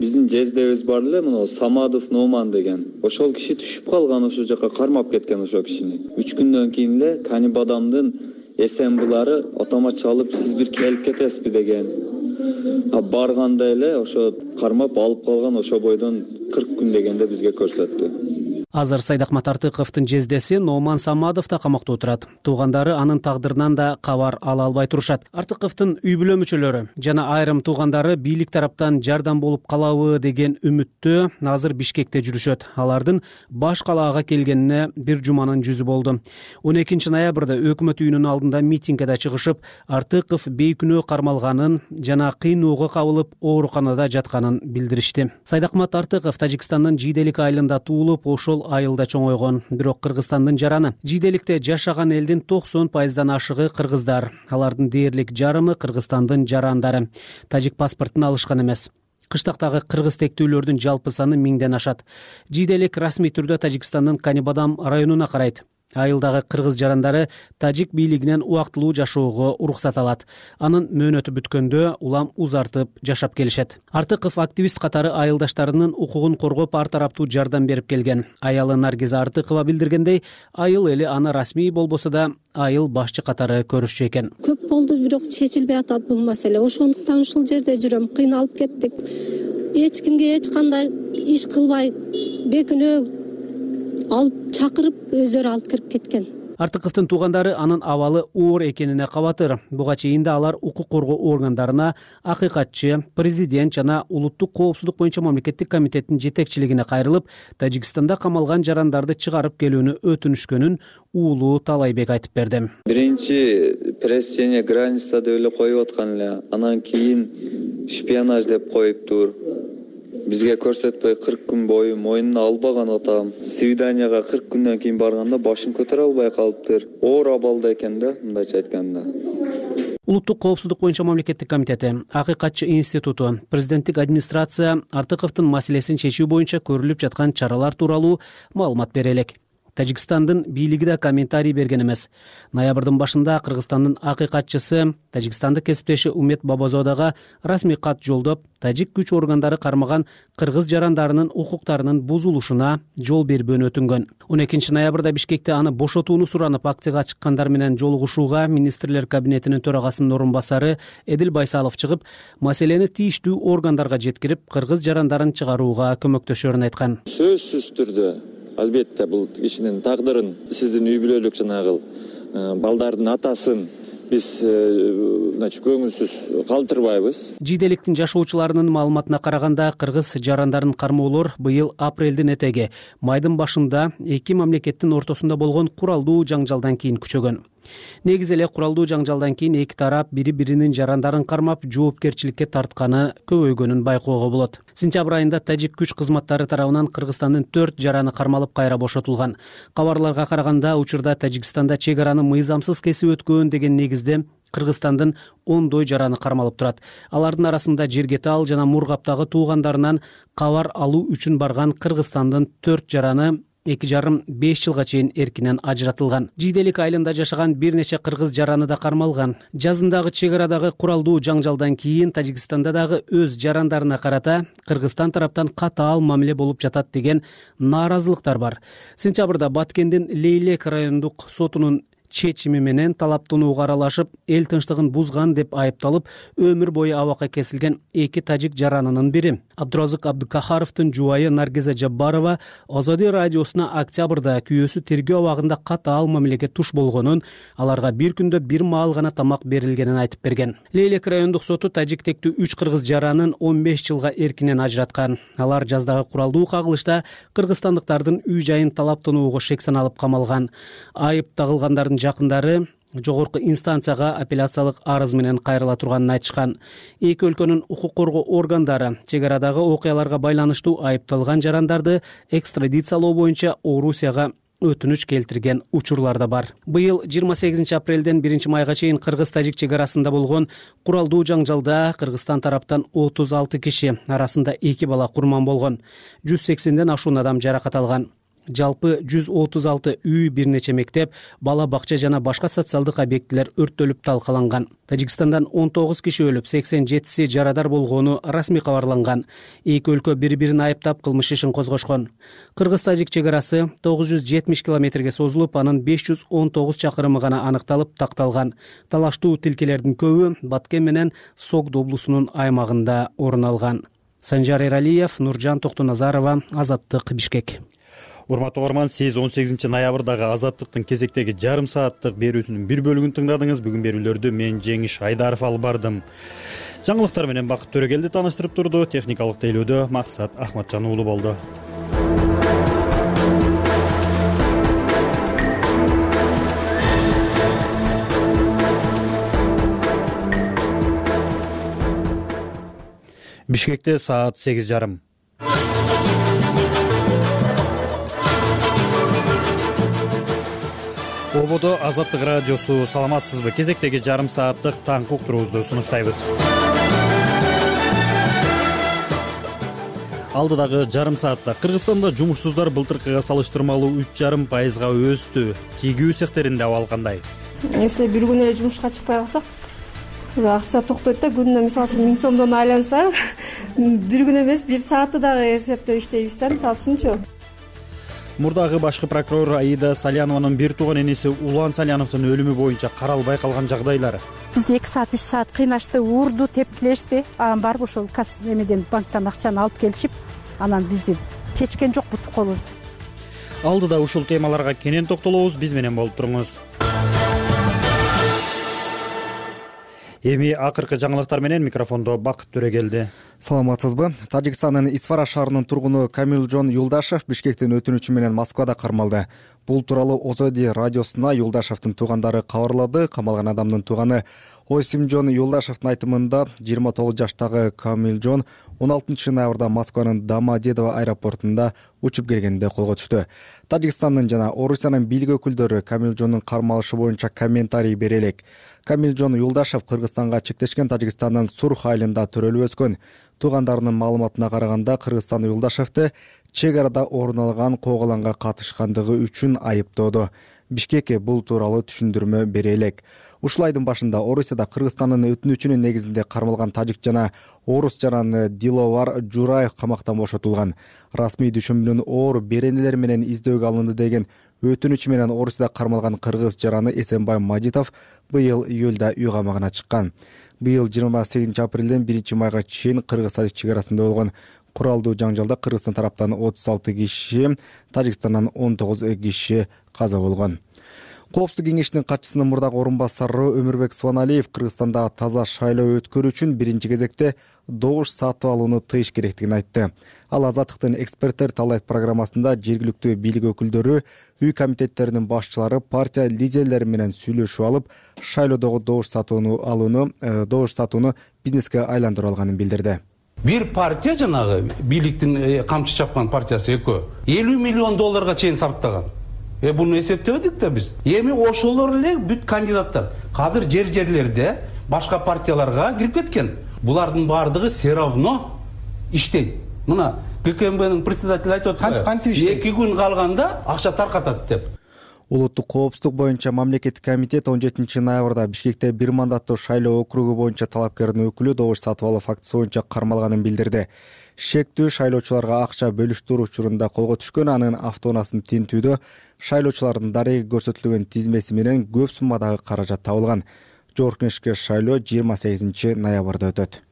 биздин жездебиз бар эле, мына Самадов Номан деген. Ошол киши түшүп калган, ошол жака кармап кеткен ошол кишини. үч күндөн кийин эле Канибадамдын эсенбулары атама чалып, сиз бир келип кетесизби деген. А барганда эле ошо кармап алып калган, ошо бойдон кырк күн дегенде бизге көрсөттү. Азыр Сайдахмат Артыковдун жездеси Номан Самадов да камакта отурат. Туугандары анын тагдырынан да кабар ала албай турушат. Артыковдун үй бүлө мүчөлөрү жана айрым туугандары бийлик тараптан жардам болуп калабы деген үмүттө азыр Бишкекте жүрүшөт. Алардын баш калаага келгенине бир жуманын жүзү болду. он экинчи ноябрда өкмөт үйүнүн алдында митингге чыгышып, Артыков бейкүнөө кармалганын жана кыйноого кабылып ооруканада жатканын билдиришти. Сайдахмат Артыков Тажикстандын Жийделик айылында туулуп, ошол айылда чоңойгон. Бирок Кыргызстандын жараны. Жийделикте жашаган элдин токсон пайыздан ашыгы кыргыздар. Алардын дээрлик жарымы Кыргызстандын жарандары. Тажик паспортун алышкан эмес. Кыштактагы кыргыз тектүүлөрдүн жалпы саны миңден ашат. Жийделик расмий түрдө Тажикстандын Канибадам районуна карайт. Айылдагы кыргыз жарандары тажик бийлигинен убактылуу жашоого уруксат алат. Анын мөөнөтү бүткөндө улам узартып жашап келишет. Артыков активист катары айылдаштарынын укугун коргоп, ар тараптуу жардам берип келген. Аялы Наргиза Артыкова билдиргендей, айыл эли аны расмий болбосо да айыл башчы катары көрүшчү экен. Көп болду, бирок чечилбей атат бул маселе. Ошондуктан ушул жерде жүрөм, кыйналып кеттик. Эч кимге эч кандай иш кылбай, бекүнөө алып чакырып, өздөрү алып кирип кеткен. Артыковдун туугандары анын абалы оор экенине кабатыр. Буга чейин да алар укук коргоо органдарына, акыйкатчы, президент жана улуттук коопсуздук боюнча мамлекеттик комитеттин жетекчилигине кайрылып, Тажикстанда камалган жарандарды чыгарып келүүнү өтүнүшкөнүн уулу Талайбек айтып берди. Биринчи пресс граница деп эле коюп аткан эле, анан кийин шпионаж деп коюптур. Бизге көрсөтпөй кырк күн бою мойнуна албаган атам. Свиданияга кырк күндөн кийин барганда башын көтөрө албай калыптыр. Оор абалда экен да, мындайча айтканда. Улуттук коопсуздук боюнча мамлекеттик комитети, Акыйкатчы институту, президенттик администрация Артыковдун маселесин чечүү боюнча көрүлүп жаткан чаралар тууралуу маалымат бере элек. Тажикстандын бийлиги да комментарий берген эмес. Ноябрдын башында Кыргызстандын акыйкатчысы Тажикстандык кесиптеши Умет Бабазодага расмий кат жолдоп, тажик күч органдары кармаган кыргыз жарандарынын укуктарынын бузулушуна жол бербөөнү өтүнгөн. он экинчи ноябрда Бишкекте аны бошотууну суранып акцияга чыккандар менен жолугушууга министрлер кабинетинин төрагасынын орун басары Эдил Байсалов чыгып, маселени тийиштүү органдарга жеткирип, кыргыз жарандарын чыгарууга көмөктөшөрүн айткан. Сөзсүз түрдө албетте бул кишинин тагдырын, сиздин үй бүлөлүк жанагы балдардын атасын биз значит көңүлсүз калтырбайбыз. Жийделиктин жашоочуларынын маалыматына караганда, кыргыз жарандарын кармоолор быйыл апрелдин этеги, майдын башында эки мамлекеттин ортосунда болгон куралдуу жаңжалдан кийин күчөгөн. Негизи эле куралдуу жаңжалдан кийин эки тарап бири-биринин жарандарын кармап, жоопкерчиликке тартканы көбөйгөнүн байкоого болот. Сентябрь айында тажик күч кызматтары тарабынан Кыргызстандын төрт жараны кармалып кайра бошотулган. Кабарларга караганда, учурда Тажикстанда чек араны мыйзамсыз кесип өткөн деген негизде Кыргызстандын ондой жараны кармалып турат. Алардын арасында Жергетал жана Мургаптагы туугандарынан кабар алуу үчүн барган Кыргызстандын төрт жараны эки жарым беш жылга чейин эркинен ажыратылган. Жийделик айылында жашаган бир нече кыргыз жараны да кармалган. Жазындагы чек арадагы куралдуу жаңжалдан кийин Тажикстанда дагы өз жарандарына карата Кыргызстан тараптан катаал мамиле болуп жатат деген нааразылыктар бар. Сентябрда Баткендин Лейлек райондук сотунун чечими менен талаптанууга аралашып, эл тынчтыгын бузган деп айыпталып, өмүр бою абакка кесилген эки тажик жаранынын бири Абдуразык Абдыкахаровдун жубайы Наргиза Жаббарова Азади радиосуна октябрда күйөөсү тергөө абагында катаал мамилеге туш болгонун, аларга бир күндө бир маал гана тамак берилгенин айтып берген. Лейлек райондук соту тажик тектүү үч кыргыз жаранын он беш жылга эркинен ажыраткан. Алар жаздагы куралдуу кагылышта кыргызстандыктардын үй жайын талаптанууга шек саналып камалган. Айып тагылгандардын жакындары жогорку инстанцияга апелляциялык арыз менен кайрыла турганын айтышкан. Эки өлкөнүн укук коргоо органдары чек арадагы окуяларга байланыштуу айыпталган жарандарды экстрадициялоо боюнча Орусияга өтүнүч келтирген учурлар да бар. Быйыл жыйырма сегизинчи апрелден биринчи майга чейин кыргыз-тажик чек арасында болгон куралдуу жаңжалда Кыргызстан тараптан отуз алты киши, арасында эки бала курман болгон. жүз сексенден ашуун адам жаракат алган. Жалпы жүз отуз алты үй, бир нече мектеп, бала бакча жана башка социалдык объектилер өрттөлүп талкаланган. Тажикстандан он тогуз киши өлүп, сексен жетиси жарадар болгону расмий кабарланган. Эки өлкө бири-бирин айыптап кылмыш ишин козгошкон. Кыргыз-тажик чек арасы тогуз жүз жетимиш километрге созулуп, анын беш жүз он тогуз чакырымы гана аныкталып такталган. Талаштуу тилкелердин көбү Баткен менен Согд облусунун аймагында орун алган. Санжар Эралиев, Нуржан Токтоназарова, Азаттык, Бишкек. урматтуу угарман, сиз он сегизинчи ноябрдагы Азаттыктын кезектеги жарым сааттык берүүсүнүн бир бөлүгүн тыңдадыңыз. Бүгүн берүүлөрдү мен Жеңиш Айдаров алып бардым. Жаңылыктар менен Бакыт Төрөгелди тааныштырып турду. Техникалык тейлөөдө Максат Ахматжан уулу болду. Бишкекте саат сегиз жарым. Ободо Азаттык радиосу. Саламатсызбы? Кезектеги жарым сааттык таңкы уктуруубузду сунуштайбыз. Алдыдагы жарым саатта Кыргызстанда жумушсуздар былтыркыга салыштырмалуу үч жарым пайызга өстү. Тигүү цехтеринде абал кандай? Если бир күн эле жумушка чыкпай калсак, акча токтойт да, күнүнө мисалы үчүн миң сомдон айланса, бир күн эмес, бир саатты дагы эсептеп иштейбиз да, мисалы үчүнчү. Мурдагы башкы прокурор Аида Салянованын бир тууган энеси Улан Саляновдун өлүмү боюнча каралбай калган жагдайлар. Бизди эки саат үч саат кыйнашты, уурду, тепкилешти. Анан барып ошол касс эмеден банктан акчаны алып келишип, анан бизди чечкен жок бутук колубузду. Алдыда ушул темаларга кенен токтолобуз, биз менен болуп туруңуз. Эми акыркы жаңылыктар менен микрофондо Бакыт Төрөгелди. Саламатсызбы? Тажикстандын Исфара шаарынын тургуну Камилжон Юлдашев Бишкектин өтүнүчү менен Москвада кармалды. Бул тууралуу Озоди радиосуна Юлдашевдин туугандары кабарлады. Камалган адамдын тууганы Осимжон Юлдашевдин айтымында жыйырма тогуз жаштагы Камилжон он алтынчы ноябрда Москванын Домодедово аэропортунда учуп келгенде колго түштү. Тажикстандын жана Орусиянын бийлик өкүлдөрү Камилжондун кармалышы боюнча комментарий бере элек. Камилжон Юлдашев Кыргызстанга чектешкен Тажикстандын Сурх айылында төрөлүп өскөн. Туугандарынын маалыматына караганда, Кыргызстан Юлдашевди чек арада орун алган кооголанга катышкандыгы үчүн айыптоодо. Бишкек бул тууралуу түшүндүрмө бере элек. Ушул айдын башында Орусияда Кыргызстандын өтүнүчүнүн негизинде кармалган тажик жана орус жараны Диловар Жураев камактан бошотулган. Расмий түшүнмөнүн оор беренелер менен издөөгө алынды деген өтүнүчү менен Орусияда кармалган кыргыз жараны Эсенбай Мажитов быйыл июлда үй камагына чыккан. Быйыл жыйырма сегизинчи апрелден биринчи майга чейин Кыргыз-Тажик чек арасында болгон куралдуу жаңжалда Кыргызстан тараптан отуз алты киши, Тажикстандан он тогуз киши каза болгон. Коопсуздук кеңешинин катчысынын мурдагы орун басары Өмүрбек Суаналиев Кыргызстанда таза шайлоо өткөрүү үчүн биринчи кезекте добуш сатып алууну тыйыш керектигин айтты. Ал Азаттыктын эксперттер талайт программасында жергиликтүү бийлик өкүлдөрү, үй комитеттеринин башчылары, партия лидерлери менен сүйлөшүп алып, шайлоодогу добуш сатууну алууну, добуш сатууну бизнеске айландырып алганын билдирди. Бир партия жанагы бийликтин камчы чапкан партиясы экөө элүү миллион долларга чейин сарптаган. Э буну эсептебедик да биз. Эми ошолор эле бүт кандидаттар азыр жер жерлерде башка партияларга кирип кеткен. Булардын баардыгы все равно иштейт. Мына ККМБнын председатели айтып атпайбы? эки күн калганда акча таркатат деп. Улуттук коопсуздук боюнча мамлекеттик комитет он жетинчи ноябрда Бишкекте бир мандаттуу шайлоо округу боюнча талапкердин өкүлү добуш сатып алуу фактысы боюнча кармалганын билдирди. Шектүү шайлоочуларга акча бөлүштүрүү учурунда колго түшкөн, анын автоунаасын тинтүүдө шайлоочулардын дареги көрсөтүлгөн тизмеси менен көп суммадагы каражат табылган. Жогорку Кеңешке шайлоо жыйырма сегизинчи ноябрда өтөт.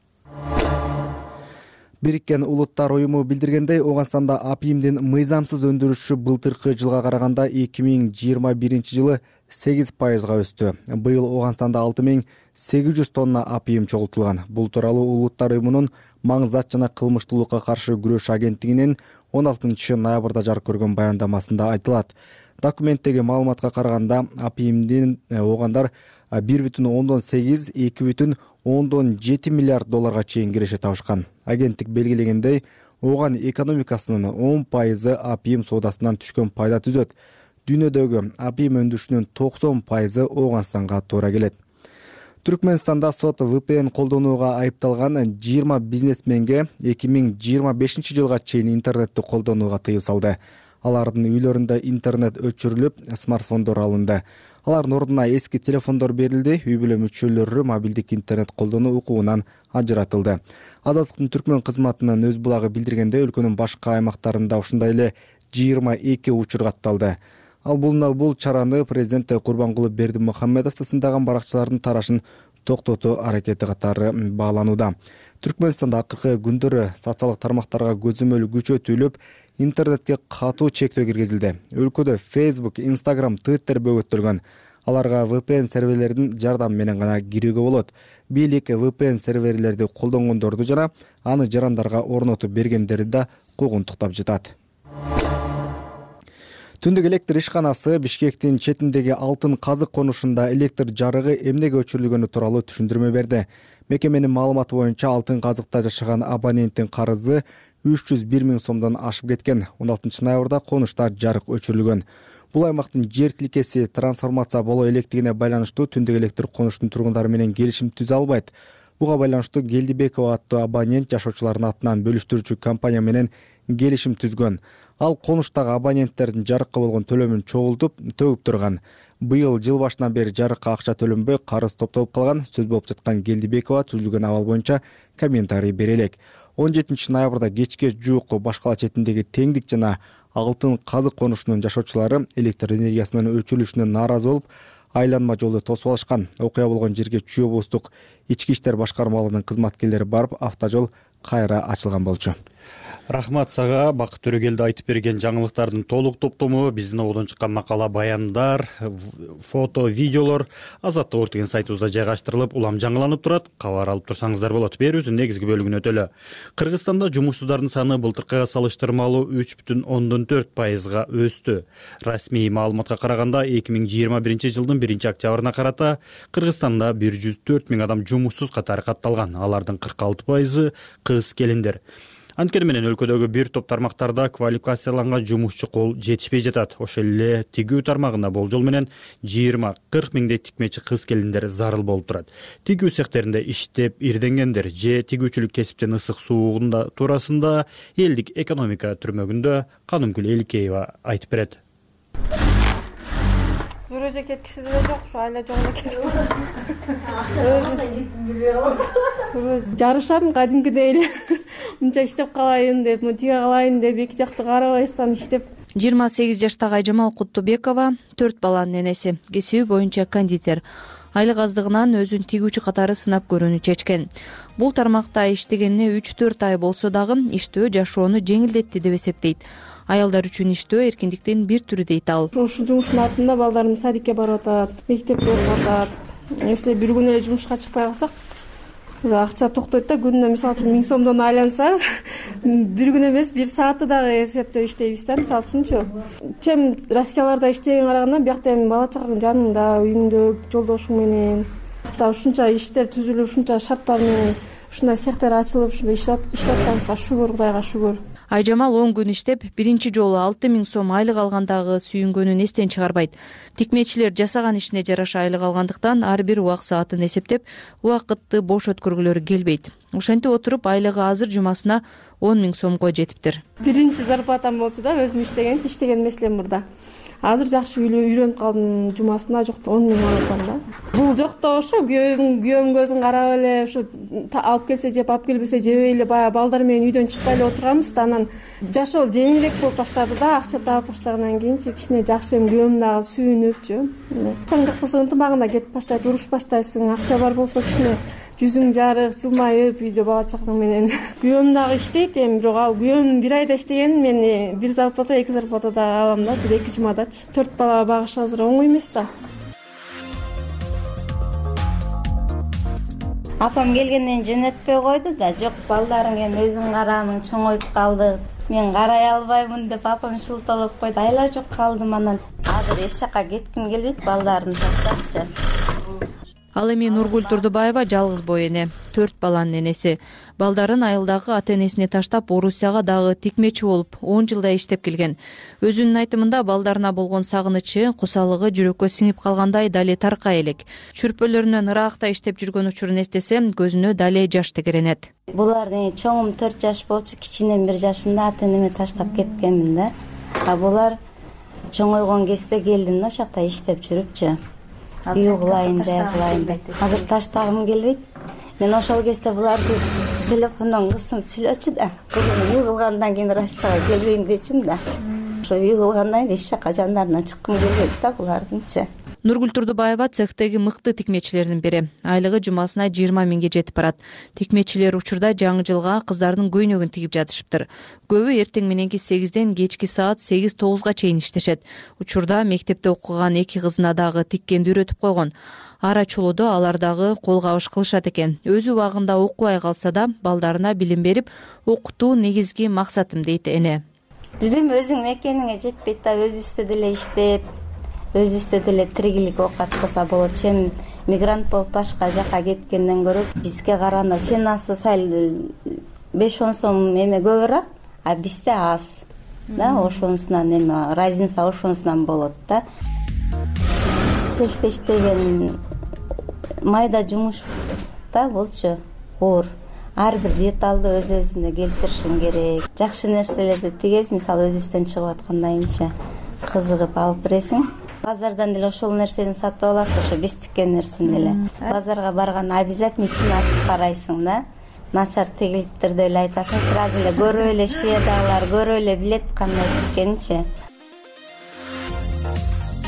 Бириккен Улуттар уюму билдиргендей, Ооганстанда апийимдин мыйзамсыз өндүрүшү былтыркы жылга караганда эки миң жыйырма биринчи жылы сегиз пайызга өстү. Быйыл Ооганстанда алты миң сегиз жүз тонна апийим чогултулган. Бул тууралуу Улуттар уюмунун маңзат жана кылмыштуулукка каршы күрөш агенттигинин он алтынчы ноябрда жарык көргөн баяндамасында айтылат. Документтеги маалыматка караганда, апийимдин оогандар бир бүтүн ондон сегиз эки бүтүн ондон жети миллиард долларга чейин киреше табышкан. Агенттик белгилегендей, ооган экономикасынын он пайызы апийим соодасынан түшкөн пайда түзөт. Дүйнөдөгү апийим өндүрүшүнүн токсон пайызы Ооганстанга туура келет. Түркмөнстанда сот вэ пэ эн колдонууга айыпталган жыйырма бизнесменге эки миң жыйырма бешинчи жылга чейин интернетти колдонууга тыюу салды. Алардын үйлөрүндө интернет өчүрүлүп, смартфондор алынды. Алардын ордуна эски телефондор берилди, үй бүлө мүчөлөрү мобилдик интернет колдонуу укугунан ажыратылды. Азаттыктын түркмөн кызматынын өз булагы билдиргендей, өлкөнүн башка аймактарында ушундай эле жыйырма эки учур катталды. Ал бул бул чараны президент Курбангулы Бердимухамедов тасындаган баракчылардын тарашын токтотуу аракети катары бааланууда. Түркмөнстанда акыркы күндөрү социалдык тармактарга көзөмөл күчөтүлүп, интернетке катуу чектөө киргизилди. Өлкөдө Facebook, Instagram, Twitter бөгөттөлгөн. Аларга ви пи эн серверлердин жардамы менен гана кирүүгө болот. Бийлик ви пи эн серверлерди колдонгондорду жана аны жарандарга орнотуп бергендерди да куугунтуктап жатат. Түндүк электр ишканасы Бишкектин четиндеги Алтын казык конушунда электр жарыгы эмнеге өчүрүлгөнү тууралуу түшүндүрмө берди. Мекеменин маалыматы боюнча Алтын казыкта жашаган абоненттин карызы үч жүз бир миң сомдон ашып кеткен. он алтынчы ноябрда конушта жарык өчүрүлгөн. Бул аймактын жер тилкеси трансформация боло электигине байланыштуу түндүк электр конуштун тургундары менен келишим түзө албайт. Буга байланыштуу Келдибекова аттуу абонент жашоочулардын атынан бөлүштүрүүчү компания менен келишим түзгөн. Ал конуштагы абоненттердин жарыкка болгон төлөмүн чогултуп, төгүп турган. Быйыл жыл башынан бери жарыкка акча төлөнбөй карыз топтолуп калган. Сөз болуп жаткан Келдибекова түзүлгөн абал боюнча комментарий бере элек. он жетинчи ноябрда кечке жуук Баш кала четиндеги Теңдик жана Алтын казык конушунун жашоочулары электр энергиясынын өчүрүлүшүнө нааразы болуп, айланма жолду тосуп алышкан. Окуя болгон жерге Чүй облустук ички иштер башкармалыгынын кызматкерлери барып, автожол кайра ачылган болчу. Рахмат сага. Бакыт Төрөгелди айтып берген жаңылыктардын толук топтому биздин ободон чыккан макала, баяндар, фото, видеолор Азаттык орт деген сайтыбызда жайгаштырылып, улам жаңыланып турат. Кабар алып турсаңыздар болот. Берүүбүздүн негизги бөлүгүнө өтөлө. Кыргызстанда жумушсуздардын саны былтыркыга салыштырмалуу үч бүтүн ондон төрт пайызга өстү. Расмий маалыматка караганда эки миң жыйырма биринчи жылдын биринчи октябрына карата Кыргызстанда бир жүз төрт миң адам жумушсуз катары катталган. Алардын кырк алты пайызы кыз келиндер. Анткени менен өлкөдөгү бир топ тармактарда квалификацияланган жумушчу кол жетишпей жатат. Ошол эле тигүү тармагында болжол менен жыйырма кырк миңдей тикмечи кыз келиндер зарыл болуп турат. Тигүү цехтеринде иштеп ирденгендер же тигүүчүлүк кесиптин ысык суугунда туурасында элдик экономика түрмөгүндө Канымгүл Эликеева айтып берет. Зурожа кеткиси деле жок, ушу айла жолго кетип. Жарышам кадимкидей эле. Мынча иштеп калайын деп, тиге калайын деп, эки жакты карабайсам иштеп. жыйырма сегиз жаштагы Айжамал Куттубекова төрт баланын энеси, кесиби боюнча кондитер. Айлык аздыгынан өзүн тигүүчү катары сынап көрүүнү чечкен. Бул тармакта иштегенине үч төрт ай болсо дагы иштөө жашоону жеңилдетти деп эсептейт. Аялдар үчүн иштөө эркиндиктин бир түрү дейт ал. Ушул жумуштун артында балдарым садикке барып атат, мектепте окуп атат. Если бир күн эле жумушка чыкпай калсак, акча токтойт да, күнүнө мисалы үчүн миң сомдон айланса, бир күн эмес, бир саатты дагы эсептеп иштейбиз да, мисалы үчүнчү. Чем Россияларда иштегенге караганда биякта эми бала чагаңдын жанында, үйүңдө жолдошуң менен, ушунча иштер түзүлүп, ушунча шарттар менен ушундай цехтер ачылып, ушундай иштеп атканыбызга шүгүр, Кудайга шүгүр. Айжамал он күн иштеп, биринчи жолу алты миң сом айлык алгандагы сүйүнгөнүн эстен чыгарбайт. Тикмечилер жасаган ишине жараша айлык алгандыктан ар бир убак саатын эсептеп, убакытты бош өткөргүлөрү келбейт. Ошентип отуруп айлыгы азыр жумасына он миң сомго жетиптир. Биринчи зарплатам болчу да, өзүм иштегенчи иштеген эмес элем мурда. Азыр жакшы үйрөнүп калдым, жумасына жокто он миң алып атам да. Бул жокто ошо күйөөм күйөөм көзүн карап эле, ушу алып келсе жеп, алып келбесе жебей эле баягы балдар менен үйдөн чыкпай эле отурганбыз да, анан жашоо жеңилирээк болуп баштады да, акча таап баштагандан кийинчи кичине жакшы эми күйөөм дагы сүйүнүпчү. Акчаң жок болсо ынтымагында кетип баштайт, уруш баштайсың, акча бар болсо кичине жүзүң жарык, жылмайып үйдө бала чакаң менен. Күйөөм дагы иштейт, эми бирок ал күйөөм бир айда иштеген, мен бир зарплата, эки зарплата дагы алам да, бир эки жумадачы. Төрт бала багыш азыр оңой эмес да. Апам келгенден жөнөтпөй койду да, жок балдарың эми өзүң карааның, чоңоюп калды. Мен карай албаймын деп апам шылталап койду. Айла жок калдым, анан азыр эч жака кетким келбейт, балдарымды таштапчы. Ал эми Нургүл Турдубаева жалгыз бой эне, төрт баланын энеси. Балдарын айылдагы ата энесине таштап, Орусияга дагы тикмечи болуп, он жылдай иштеп келген. Өзүнүн айтымында балдарына болгон сагынычы, кусалыгы жүрөккө сиңип калгандай дале таркай элек. Чүрпөлөрүнөн ыраакта иштеп жүргөн учурун эстесе, көзүнө дале жаш тегеренет. Булардын чоңум төрт жаш болчу, кичинем бир жашында ата энеме таштап кеткенмин да. А булар чоңойгон кезде келдим да, ошакта иштеп жүрүпчү. Үй кылайын, жай кылайын деп. Азыр таштагым келбейт. Мен ошол кезде буларды телефондон кызым сүйлөчү да. Кызым үй кылгандан кийин Россияга келбейм дечим да. Ошо үй кылгандан кийин эч жака жандарынан чыккым келбейт да булардынчы. Нургүл Турдубаева цехтеги мыкты тикмечилердин бири. Айлыгы жумасына жыйырма миңге жетип барат. Тикмечилер учурда жаңы жылга кыздардын көйнөгүн тигип жатышыптыр. Көбү эртең мененки сегизден кечки саат сегиз тогузга чейин иштешет. Учурда мектепте окуган эки кызына дагы тиккенди үйрөтүп койгон. Ара чолодо алар дагы кол кабыш кылышат экен. Өзү убагында окубай калса да балдарына билим берип, окутуу негизги максатым дейт эне. Билим өзүң мекениңе жетпейт да, өзүбүздө деле иштеп, өзүбүздө деле тиригилик окат кылса болот. Чем мигрант болуп башка жака кеткенден көрө бизге караганда сенасы сал беш он сом эме көбүрөөк, а бизде аз. Да, ошонусунан эме разница ошонусунан болот да. Цехте иштеген майда жумуш да болчу оор. Ар бир деталды өз өзүнө келтиришиң керек. Жакшы нерселерди тигесиң, мисалы өзүбүздөн чыгып аткандайынча кызыгып алып бересиң. Базардан деле ошол нерсени сатып аласың, ошо биз тиккен нерсени деле. Базарга барганда обязательно ичин ачып карайсың да. Начар тигилиптирди эле айтасың, сразу эле көрүп эле шведалар көрүп эле билет кандай тиккенинчи.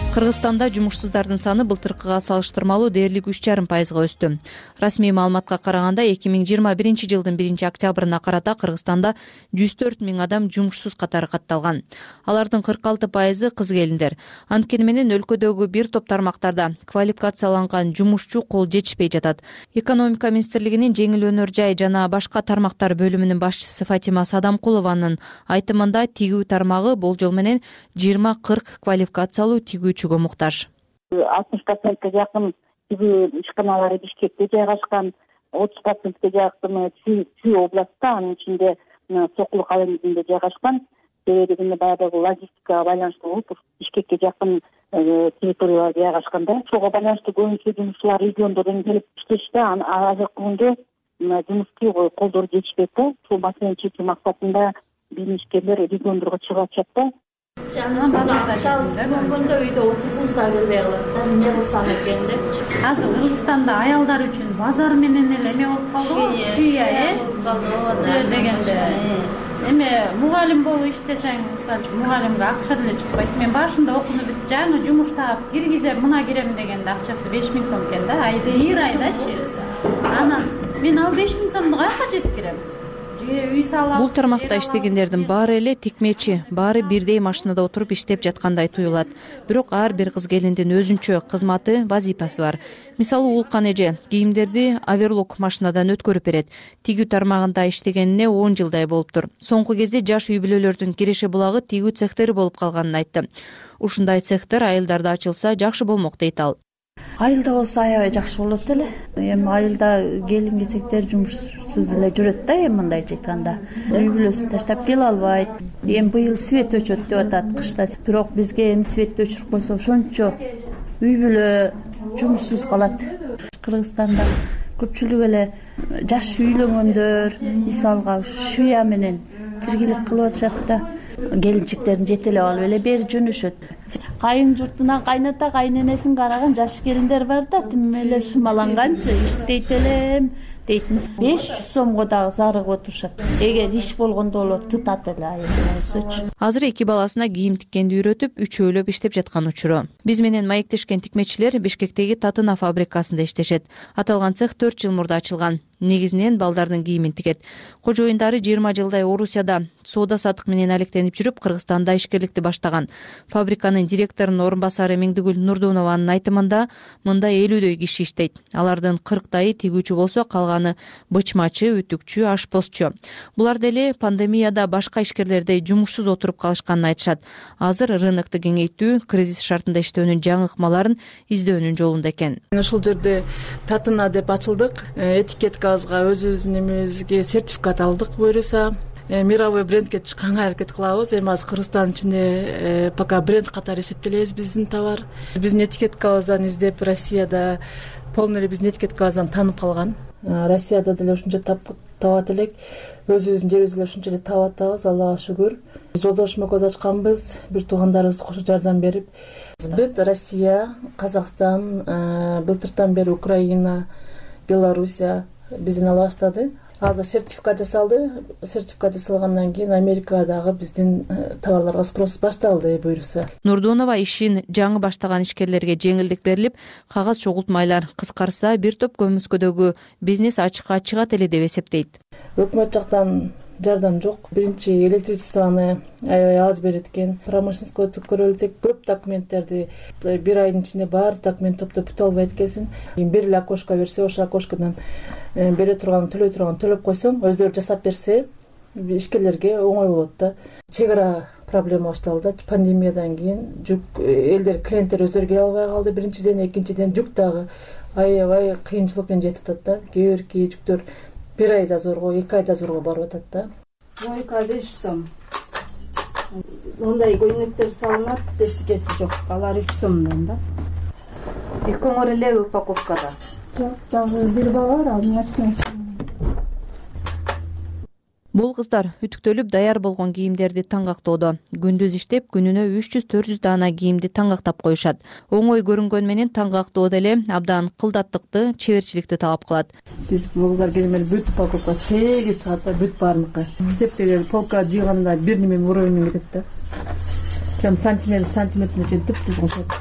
Кыргызстанда жумушсуздардын саны былтыркыга салыштырмалуу дээрлик үч жарым пайызга өстү. Расмий маалыматка караганда эки миң жыйырма биринчи жылдын биринчи октябрына карата Кыргызстанда жүз төрт миң адам жумушсуз катары катталган. Алардын кырк алты пайызы кыз келиндер. Анткени менен өлкөдөгү бир топ тармактарда квалификацияланган жумушчу кол жетишпей жатат. Экономика министрлигинин жеңил өнөр жай жана башка тармактар бөлүмүнүн башчысы Фатима Садамкулованын айтымында тигүү тармагы болжол менен жыйырма кырк квалификациялуу тигүүчүгө муктаж. алтымыш процентке жакын тигүү ишканалары Бишкекте жайгашкан, отуз процентке жакын Чүй областта, анын ичинде Сокулук айылында жайгашкан. Себеби баягы логистикага байланыштуу болуп, Бишкекке жакын территорияларда жайгашканда, ошого байланыштуу көбүнчө жумушчулар региондордон келип иштешти. Азыркы күндө жумушчу колдор жетишпейт да. Ушул маселени чечүү максатында биз ишкерлер региондорго чыгып атышат да. Акчабыз болгондо үйдө отургубуз да келбей калат да, эмне кылсам экен деп. Азыр Кыргызстанда аялдар үчүн базар менен эле эме болуп калды, шүйя э дегенде. Эме мугалим болуп иштесең, мисалы мугалимге акча деле чыкпайт. Мен башында окууну бүтүп жаңы жумуш таап киргизем, мына кирем дегенде акчасы беш миң сом экен да, айда бир айдачы. Анан мен ал беш миң сомду каяка жеткирем? Бул тармакта иштегендердин баары эле тикмечи, баары бирдей машинада отуруп иштеп жаткандай туюлат. Бирок ар бир кыз келиндин өзүнчө кызматы, вазипасы бар. Мисалы Улкан эже кийимдерди оверлок машинадан өткөрүп берет. Тигүү тармагында иштегенине он жылдай болуптур. Соңку кезде жаш үй бүлөлөрдүн киреше булагы тигүү цехтери болуп калганын айтты. Ушундай цехтер айылдарда ачылса жакшы болмок дейт ал. Айылда болсо аябай жакшы болот эле. Эми айылда келин кезектер жумушсуз эле жүрөт да, эми мындайча айтканда. Үй бүлөсүн таштап келе албайт. Эми быйыл свет өчөт деп атат кышта. Бирок бизге эми светти өчүрүп койсо ошончо үй бүлө жумушсуз калат. Кыргызстанда көпчүлүк эле жаш үйлөнгөндөр, мисалга швея менен тиргилик кылып атышат да. Келинчектерин жетелеп алып эле бери жөнөшөт. Кайын журтунан кайната кайненесин караган жаш келиндер бар да, тим эле шымаланганчы иштейт элем дейтмиз. беш жүз сомго дагы зарыгып отурушат. Эгер иш болгондо болот тытат эле айылчы. Азыр эки баласына кийим тиккенди үйрөтүп, үчөөлөп иштеп жаткан учуру. Биз менен маектешкен тикмечилер Бишкектеги Татына фабрикасында иштешет. Аталган цех төрт жыл мурда ачылган. Негизинен балдардын кийимин тигет. Кожоюндары жыйырма жылдай Орусияда соода саттык менен алектенип жүрүп, Кыргызстанда ишкерликти баштаган. Фабриканын директорунун орун басары Миңдигүл Нурдунованын айтымында мында элүүдөй киши иштейт. Алардын кырктайы тигүүчү болсо, калганы бычмачы, үтүкчү, ашпозчу. Булар деле пандемияда башка ишкерлердей жумушсуз отуруп калышканын айтышат. Азыр рынокду кеңейтүү, кризис шартында иштөөнүн жаңы ыкмаларын издөөнүн жолунда экен. Ушул жерде Татына деп ачылдык. Этикетка өзүбүздүн эмебизге сертификат алдык буюрса, мировой брендке чыкканга аракет кылабыз. Эми азыр Кыргызстандын ичинде пока бренд катары эсептелебиз биздин товар. Биздин этикеткабыздан издеп Россияда полный эле биздин этикеткабыздан таанып калган. Россияда деле ушунча табат элек, өзүбүздүн жерибизде деле ушунча эле таап атабыз, Аллага шүгүр. Жолдошума көз ачканбыз, бир туугандарыбыз кошо жардам берип. Бүт Россия, Казакстан, былтыртан бери Украина, Белоруссия бизден ала баштады. азыр сертификат жасалды. Сертификат жасалгандан кийин Америкадагы биздин товарларга спрос башталды буюрса. Нурдунова ишин жаңы баштаган ишкерлерге жеңилдик берилип, кагаз чогултмайлар кыскарса, бир топ көмүскөдөгү бизнес ачыкка чыгат эле деп эсептейт. Өкмөт жактан жардам жок. Биринчи электричествону аябай аз берет экен. Промышленностько көрөлсөк, көп документтерди бир айдын ичинде баары документ топтоп бүтө албайт экенсиң. Бир эле окошко берсе, ошол окошкодон бере турган, төлөй турган төлөп койсоң, өздөрү жасап берсе, ишкерлерге оңой болот да. Чек ара проблема башталды. Пандемиядан кийин жүк элдер, клиенттер өздөрү келе албай калды. Биринчиден, экинчиден жүк дагы аябай кыйынчылык менен жетип атат да. Кээ бирки жүктөр бир айда зорго, эки айда зорго барып атат да. эки ай беш сом. Ондай көйнөктөр салынат, эчтекеси жок. Алар үч сомдон да. Экөөңөр эле упаковкада. Жок, дагы бир бала бар, ал нерсе. Бул кыздар үтүктөлүп даяр болгон кийимдерди таңгактоодо. Күндүз иштеп, күнүнө үч жүз төрт жүз даана кийимди таңгактап коюшат. Оңой көрүнгөн менен таңгактоо деле абдан кылдаттыкты, чеберчиликти талап кылат. Биз кыздар келгенде бүт упаковка сегиз чыгат да, бүт баарыныкы. Эсептеген полка жыйганда бир неме уровень кетет да. Кем сантиметр сантиметрине чейин түп-түз кылышат.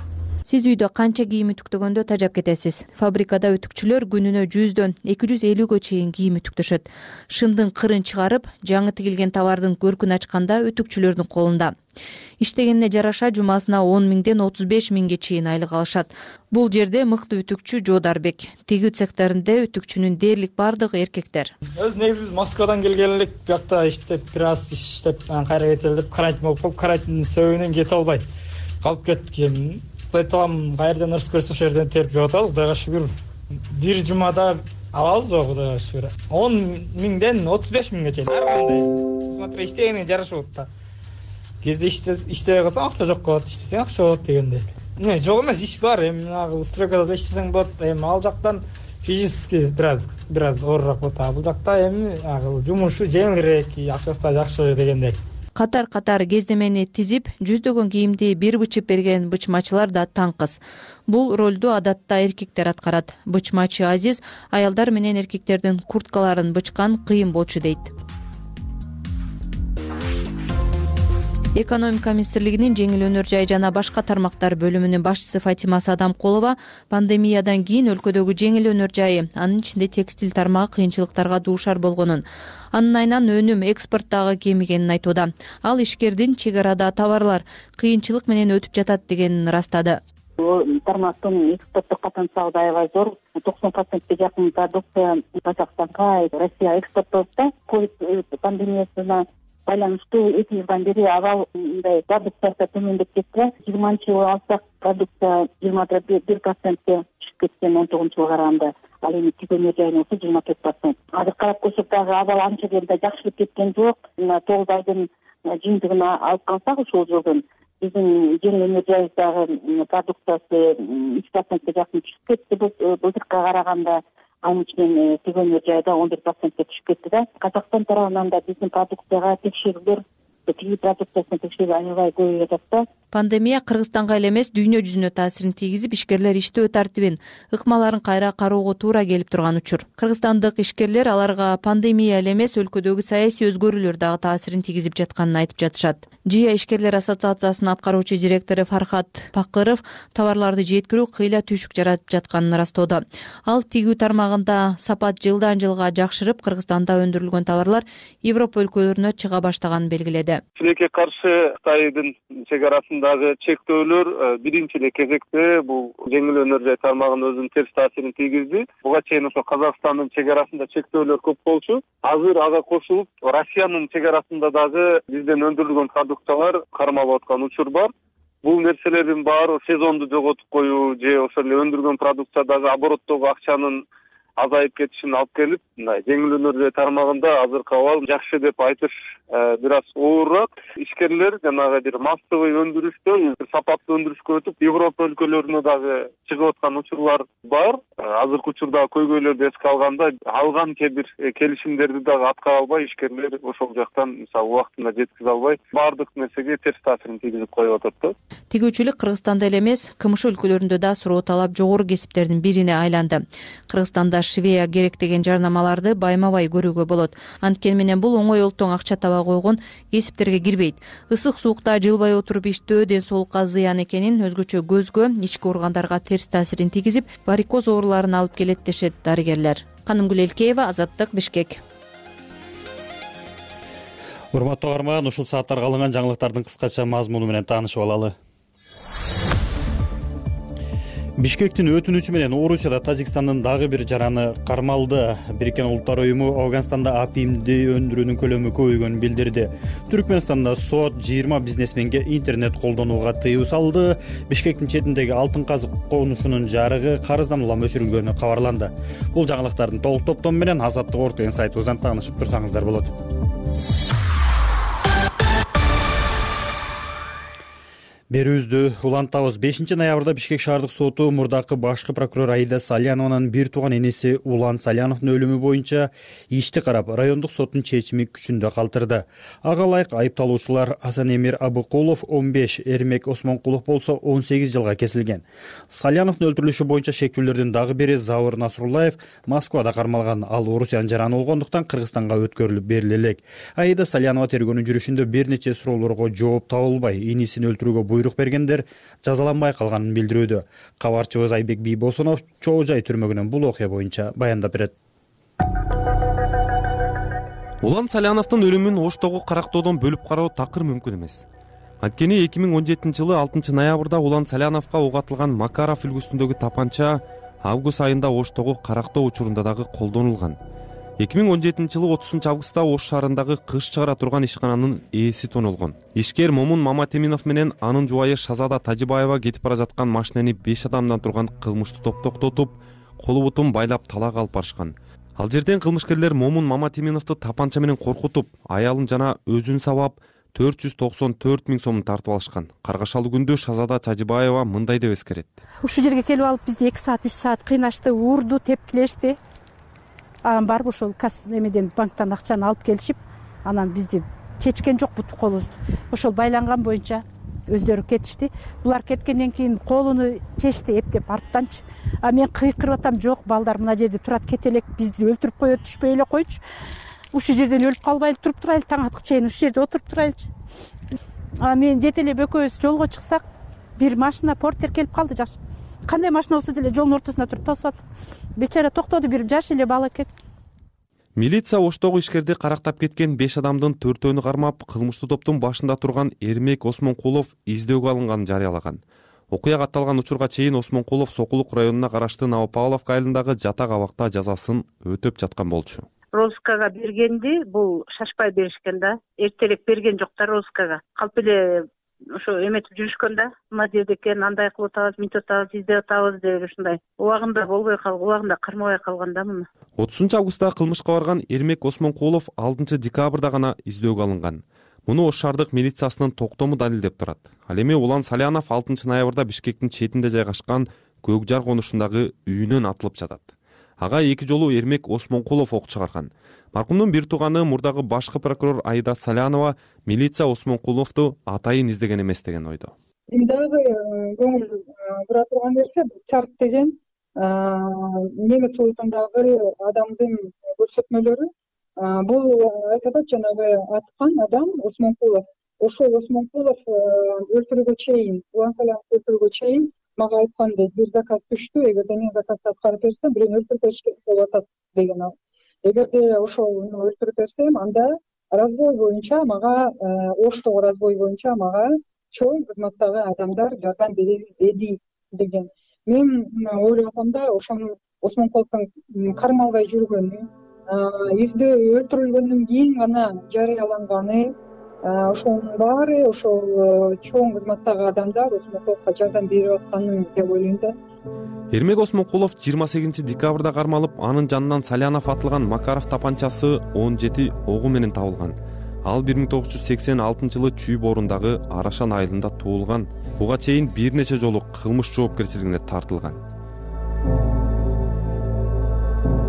Сиз үйдө канча кийим үтүктөгөндө тажап кетесиз. Фабрикада үтүкчүлөр күнүнө жүздөн эки жүз элүүгө чейин кийим үтүктөшөт. Шымдын кырын чыгарып, жаңы тигилген товардын көркүн ачканда үтүкчүлөрдүн колунда. Иштегенине жараша жумасына он миңден отуз беш миңге чейин айлык алышат. Бул жерде мыкты үтүкчү Жодарбек. Тигүү цехтеринде үтүкчүнүн дээрлик бардыгы эркектер. Өз негизи биз Москвадан келген элек, биякта иштеп, бир аз иштеп, кайра кетели деп карантин болуп калып, карантиндин себебинен кете албай калып кеттик. Айталам, кайерден ырыс көрсө ошол жерден терип жеп атабыз. Кудайга шүгүр. Бир жумада алабыз го, Кудайга шүгүр. он миңден отуз беш миңге чейин ар кандай. Смотри, иштегенине жарашып атат да. Кезде иштебей калсаң акча жок болот, иштесең акча болот дегендей. Не, жок эмес, иш бар. Эми агыл стройкада иштесең болот. Эми ал жактан физически бир аз бир аз оорураак болот. А бул жакта эми агыл жумушу жеңилирээк, акчасы да жакшы дегендей. Катар-катар кездемени тизип, жүздөгөн кийимди бир бычып берген бычмачылар да таңкыз. Бул ролду адатта эркектер аткарат. Бычмачы Азиз аялдар менен эркектердин курткаларын бычкан кыйын болчу дейт. Экономика министрлигинин жеңил өнөр жай жана башка тармактар бөлүмүнүн башчысы Фатима Садамкулова пандемиядан кийин өлкөдөгү жеңил өнөр жайы, анын ичинде текстиль тармагы кыйынчылыктарга дуушар болгонун, анын айынан өнүм экспорттагы кемигенин айтууда. Ал ишкердин чек арада товарлар кыйынчылык менен өтүп жатат дегенин ырастады. Тармактын экспорттук потенциалы аябай зор. токсон процентке жакын продукция Казакстанга, Россияга экспорттолот да. Ковид пандемиясына байланыштуу эки жылдан бери абал мындай продукциясы төмөндөп кетти. жыйырманчы жылы алсак продукция жыйырма бир процентке түшүп кеткен он тогузунчу жылга караганда. Ал эми тигүү жайына болсо жыйырма төрт процент. Азыр карап көрсөк дагы абал анча деле жакшырып кеткен жок. Мына тогуз айдын жыйынтыгын алып калсак ушул жылдын биздин жеңил өнөр жайдагы продукциясы үч процентке жакын түшүп кетти былтыркыга караганда. Анын ичинен тигүү өнөр жайда он бир процентке түшүп кетти да. Казакстан тарабынан да биздин продукцияга текшерүүлөр, тигүү продукциясына текшерүү аябай көбөйүп жатат да. Пандемия Кыргызстанга эле эмес, дүйнө жүзүнө таасирин тийгизип, ишкерлер иштөө тартибин, ыкмаларын кайра кароого туура келип турган учур. Кыргызстандык ишкерлер аларга пандемия эле эмес, өлкөдөгү саясий өзгөрүүлөр дагы таасирин тийгизип жатканын айтып жатышат. Жия ишкерлер ассоциациясынын аткаруучу директору Фархат Пакыров товарларды жеткирүү кыйла түйшүк жаратып жатканын ырастоодо. Ал тигүү тармагында сапат жылдан жылга жакшырып, Кыргызстанда өндүрүлгөн товарлар Европа өлкөлөрүнө чыга баштаганын белгиледи. Тилекке каршы Кытайдын чек арасындагы чектөөлөр биринчи эле кезекте бул жеңил өнөр жай тармагына өзүнүн терс таасирин тийгизди. Буга чейин ошо Казакстандын чек арасында чектөөлөр көп болчу. Азыр ага кошулуп, Россиянын чек арасында дагы бизден өндүрүлгөн продукциялар кармалып аткан учур бар. Бул нерселердин баары сезонду жоготуп коюу же ошол эле өндүргөн продукциядагы обороттогу акчанын азайып кетишин алып келип, мындай жеңил өнөр жай тармагында азыркы абал жакшы деп айтыш бир аз оорураак. Ишкерлер жанагы бир массовый өндүрүштөн сапаттуу өндүрүшкө өтүп, Европа өлкөлөрүнө дагы чыгып аткан учурлар бар. Азыркы учурда көйгөйлөрдү эске алганда, алган кээ бир келишимдерди дагы аткара албай, ишкерлер ошол жактан мисалы убактында жеткизе албай, баардык нерсеге терс таасирин тийгизип коюп атат да. Тигүүчүлүк Кыргызстанда эле эмес, КМШ өлкөлөрүндө да суроо талап жогору кесиптердин бирине айланды. Кыргызстанда швея керек деген жарнамаларды байма бай көрүүгө болот. Анткени менен бул оңой олтоң акча таба койгон кесиптерге кирбейт. Ысык суукта жылбай отуруп иштөө ден соолукка зыян экенин, өзгөчө көзгө, ички органдарга терс таасирин тийгизип, варикоз ооруларын алып келет дешет дарыгерлер. Канымгүл Элкеева, Азаттык, Бишкек. Урматтуу угарман, ушул сааттарга алынган жаңылыктардын кыскача мазмуну менен таанышып алалы. Бишкектин өтүнүчү менен Орусияда Тажикстандын дагы бир жараны кармалды. Бириккен Улуттар уюму Афганстанда апимди өндүрүүнүн көлөмү көбөйгөнүн билдирди. Түркмөнстанда сот жыйырма бизнесменге интернет колдонууга тыюу салды. Бишкектин четиндеги алтын казык конушунун жарыгы карыздан улам өчүрүлгөнү кабарланды. Бул жаңылыктардын толук топтому менен Азаттык орто деген сайтыбыздан таанышып турсаңыздар болот. Берүүбүздү улантабыз. бешинчи ноябрда Бишкек шаардык соту мурдакы башкы прокурор Аида Салянованын бир тууган энеси Улан Саляновдун өлүмү боюнча ишти карап, райондук соттун чечими күчүндө калтырды. Ага ылайык айыпталуучулар Асанемир Абыкулов он беш, Эрмек Осмонкулов болсо он сегиз жылга кесилген. Саляновдун өлтүрүлүшү боюнча шектүүлөрдүн дагы бири Завур Насруллаев Москвада кармалган. Ал Орусиянын жараны болгондуктан Кыргызстанга өткөрүлүп бериле элек. Аида Салянова тергөөнүн жүрүшүндө бир нече суроолорго жооп табылбай, инисин өлтүрүүгө буйрук бергендер жазаланбай калганын билдирүүдө. Кабарчыбыз Айбек Бийбосунов Чоо Жай түрмөгүнөн бул окуя боюнча баяндап берет. Улан Саляновдун өлүмүн Оштогу карактоодон бөлүп кароо такыр мүмкүн эмес. Анткени эки миң он жетинчи жылы алтынчы ноябрда Улан Саляновго ок атылган Макаров үлгүсүндөгү тапанча август айында Оштогу карактоо учурунда дагы колдонулган. эки миң он жетинчи жылы отузунчу августта Ош шаарындагы кыш чыгара турган ишкананын ээси тонулгон. Ишкер Момун Маматеминов менен анын жубайы Шазада Тажибаева кетип бара жаткан машинени беш адамдан турган кылмыштуу топ токтотуп, колу бутун байлап талак алып барышкан. Ал жерден кылмышкерлер Момун Маматеминовду тапанча менен коркутуп, аялын жана өзүн сабап төрт жүз токсон төрт миң сомун тартып алышкан. Каргашалуу күндө Шазада Тажибаева мындай деп эскерет. Ушул жерге келип алып бизди эки саат үч саат кыйнашты, уурду, тепкилешти. Анан барып ошол касс эмеден банктан акчаны алып келишип, анан бизди чечкен жок буту колубузду. Ошол байланган боюнча өздөрү кетишти. Булар кеткенден кийин колуну чечти эптеп арттанчы. А мен кыйкырып атам, жок, балдар мына жерде турат, кете элек, бизди өлтүрүп коет, түшпөй эле койчу. Ушул жерден өлүп калбайлы туруп турайлы, таң аткы чейин ушул жерде отуруп турайлычы. А мен жете эле экөөбүз жолго чыксак, бир машина портер келип калды, жакшы. Кандай машина болсо деле жолдун ортосунда туруп тосуп атты. Бечара токтоду, бир жаш эле бала экен. Милиция Оштогу ишкерди карактап кеткен беш адамдын төртөөнү кармап, кылмыштуу топтун башында турган Эрмек Осмонкулов издөөгө алынганын жарыялаган. Окуя катталган учурга чейин Осмонкулов Сокулук районуна караштуу Новопавловка айылындагы жатак абакта жазасын өтөп жаткан болчу. Розыскага бергенди, бул шашпай беришкен да. Эртерээк берген жок да розыскага. Калп эле ошо эметип жүрүшкөн да. Мына жерде экен, андай кылып атабыз, мынтип атабыз, издеп атабыз деп ушундай. Убагында болбой калган, убагында кармабай калган да муну. отузунчу августта кылмышка барган Эрмек Осмонкулов алтынчы декабрда гана издөөгө алынган. Муну Ош шаардык милициясынын токтому далилдеп турат. Ал эми Улан Салянов алтынчы ноябрда Бишкектин четинде жайгашкан Көк Жар конушундагы үйүнөн атылып жатат. Ага эки жолу Эрмек Осмонкулов ок чыгарган. Маркумдун бир тууганы мурдагы башкы прокурор Аида Салянова милиция Осмонкуловду атайын издеген эмес деген ойдо. Дагы көңүл бура турган нерсе Чарт деген немец улутундагы адамдын көрсөтмөлөрү. Бул айтат, жанагы аткан адам Осмонкулов. Ошол Осмонкулов өлтүрүүгө чейин, Улан Саляновду өлтүрүүгө чейин мага айткан дейт, бир заказ түштү, эгерде мен заказды аткарып берсем, бирөөнү өлтүрүп беришке болуп атат деген ал. Эгерде ошол өлтүрүп берсем, анда разбой боюнча мага, Оштогу разбой боюнча мага чоң кызматтагы адамдар жардам беребиз деди деген. Мен ойлоп атам да, ошону Осмонкуловдун кармалбай жүргөнү, издөө өлтүрүлгөндөн кийин гана жарыяланганы, ошонун баары ошол чоң кызматтагы адамдар Осмонкуловго жардам берип атканы деп ойлойм да. Эрмек Осмонкулов жыйырма сегизинчи декабрда кармалып, анын жанынан Салянов атылган Макаров тапанчасы он жети огу менен табылган. Ал бир миң тогуз жүз сексен алтынчы жылы Чүй боорундагы Арашан айылында туулган. Буга чейин бир нече жолу кылмыш жоопкерчилигине тартылган.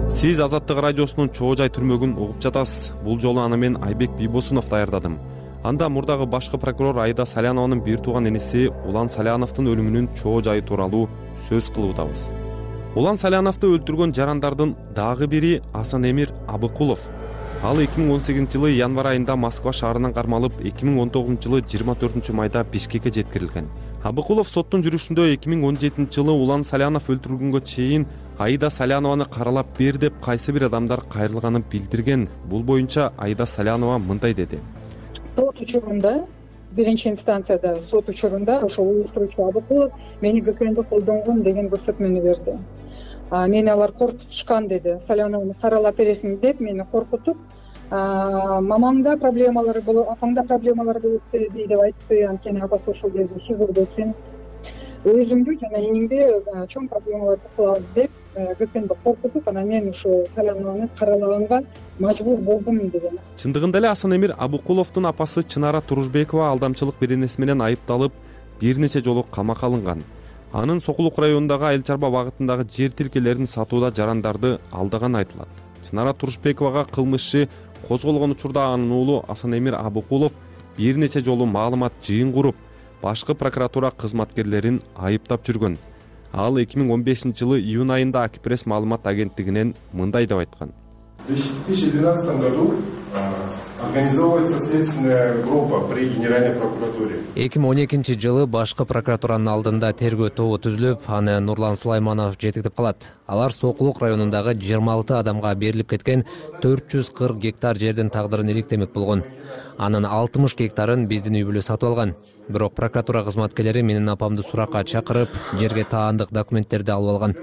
Сиз Азаттык радиосунун Чоо Жай түрмөгүн угуп жатасыз. Бул жолу аны мен Айбек Бийбосунов даярдадым. Анда мурдагы башкы прокурор Аида Салянованын бир тууган энеси Улан Саляновдун өлүмүнүн чоо жайы тууралуу сөз кылуудабыз. Улан Саляновду өлтүргөн жарандардын дагы бири Асанэмир Абыкулов. Ал эки миң он сегизинчи жылы январь айында Москва шаарынан кармалып, эки миң он тогузунчу жылы жыйырма төртүнчү майда Бишкекке жеткирилген. Абыкулов соттун жүрүшүндө эки миң он жетинчи жылы Улан Салянов өлтүрүлгөнгө чейин Аида Салянованы каралап бер деп кайсы бир адамдар кайрылганын билдирген. Бул боюнча Аида Салянова мындай деди. Сот учурунда, биринчи инстанцияда сот учурунда ошол уюштуруучу Абыкулов мени ГКНди колдонгон деген көрсөтмөнү берди. Мени алар коркутушкан деди. Саляновну каралап бересиң деп мени коркутуп, мамаңда проблемалары болот, апаңда проблемалары болот деп айтты. Анткени апасы ошол кезде СИЗОдо экен. Өзүмдү жана энимди чоң проблемаларды кылабыз деп ГКНди коркутуп, анан мен ошо Саляновну каралаганга мажбур болдум деген. Чындыгында эле Асанэмир Абыкуловдун апасы Чынара Турушбекова алдамчылык беренеси менен айыпталып, бир нече жолу камакка алынган. Анын Сокулук районундагы айыл чарба багытындагы жер тилкелерин сатууда жарандарды алдаганы айтылат. Чынара Турушбековага кылмыш иши козголгон учурда анын уулу Асанэмир Абыкулов бир нече жолу маалымат жыйын куруп, башкы прокуратура кызматкерлерин айыптап жүргөн. Ал эки миң он бешинчи жылы июнь айында Акипресс маалымат агенттигинен мындай деп айткан. В две тысячи двенадцатом году организовывается следственная группа при Генеральной прокуратуре. эки миң он экинчи жылы башкы прокуратуранын алдында тергөө тобу түзүлүп, аны Нурлан Сулайманов жетектеп калат. Алар Сокулук районундагы жыйырма алты адамга берилип кеткен төрт жүз кырк гектар жердин тагдырын иликтемек болгон. Анын алтымыш гектарын биздин үй бүлө сатып алган. Бирок прокуратура кызматкерлери менин апамды суракка чакырып, жерге таандык документтерди алып алган.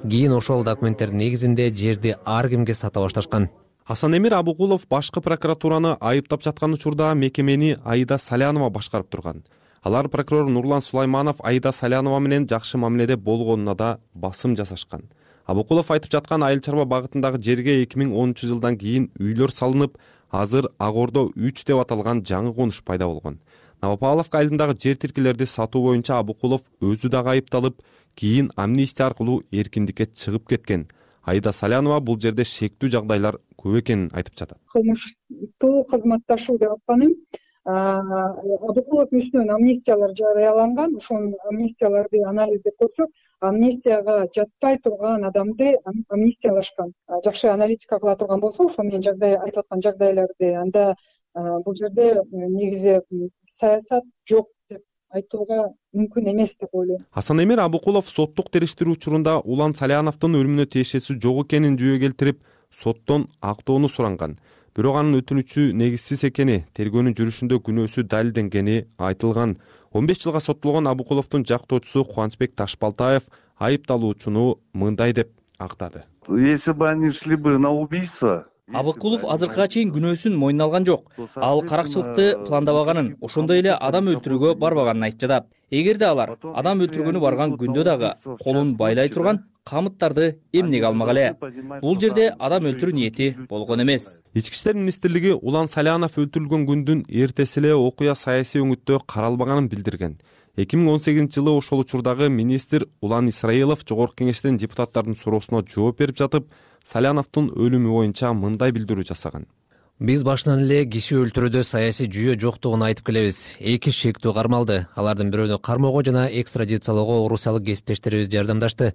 Кийин ошол документтердин негизинде жерди ар кимге сата башташкан. Асанэмир Абыкулов башкы прокуратураны айыптап жаткан учурда мекемени Аида Салянова башкарып турган. Алар прокурор Нурлан Сулайманов Аида Салянова менен жакшы мамиледе болгонуна да басым жасашкан. Абыкулов айтып жаткан айыл чарба багытындагы жерге эки миң онунчу жылдан кийин үйлөр салынып, азыр Ак Ордо үч деп аталган жаңы конуш пайда болгон. Новопавловка айылындагы жер тилкелерди сатуу боюнча Абыкулов өзү дагы айыпталып, кийин амнистия аркылуу эркиндикке чыгып кеткен. Аида Салянова бул жерде шектүү жагдайлар көп экенин айтып жатат. Кылмыштуу кызматташуу деп атканым, Абыкуловдун үстүнөн амнистиялар жарыяланган. Ошол амнистияларды анализдеп көрсөк, амнистияга жатпай турган адамды амнистиялашкан. Жакшы аналитика кыла турган болсо, ошол менен жагдай айтып аткан жагдайларды, анда бул жерде негизи саясат жок деп айтууга мүмкүн эмес деп ойлойм. Асанэмир Абыкулов соттук териштирүү учурунда Улан Саляновдун өлүмүнө тиешеси жок экенин жүйө келтирип, соттон актоону суранган. Бирок анын өтүнүчү негизсиз экени, тергөөнүн жүрүшүндө күнөөсү далилденгени айтылган. он беш жылга соттолгон Абыкуловдун жактоочусу Кубанычбек Ташбалтаев айыпталуучуну мындай деп актады. Если бы они шли бы на убийство, Абыкулов азыркыга чейин күнөөсүн мойнуна алган жок. Ал каракчылыкты пландабаганын, ошондой эле адам өлтүрүүгө барбаганын айтып жатат. Эгерде алар адам өлтүргөнү барган күндө дагы колун байлай турган камыттарды эмнеге алмак эле? Бул жерде адам өлтүрүү ниети болгон эмес. Ички иштер министрлиги Улан Салянов өлтүрүлгөн күндүн эртеси эле окуя саясий өңүттө каралбаганын билдирген. эки миң он сегизинчи жылы ошол учурдагы министр Улан Исраилов Жогорку Кеңештен депутаттардын суроосуна жооп берип жатып, Саляновдун өлүмү боюнча мындай билдирүү жасаган. Биз башынан эле киши өлтүрүүдө саясий жүйө жоктугун айтып келебиз. Эки шектүү кармалды. Алардын бирөөнү кармоого жана экстрадициялоого орусиялык кесиптештерибиз жардамдашты.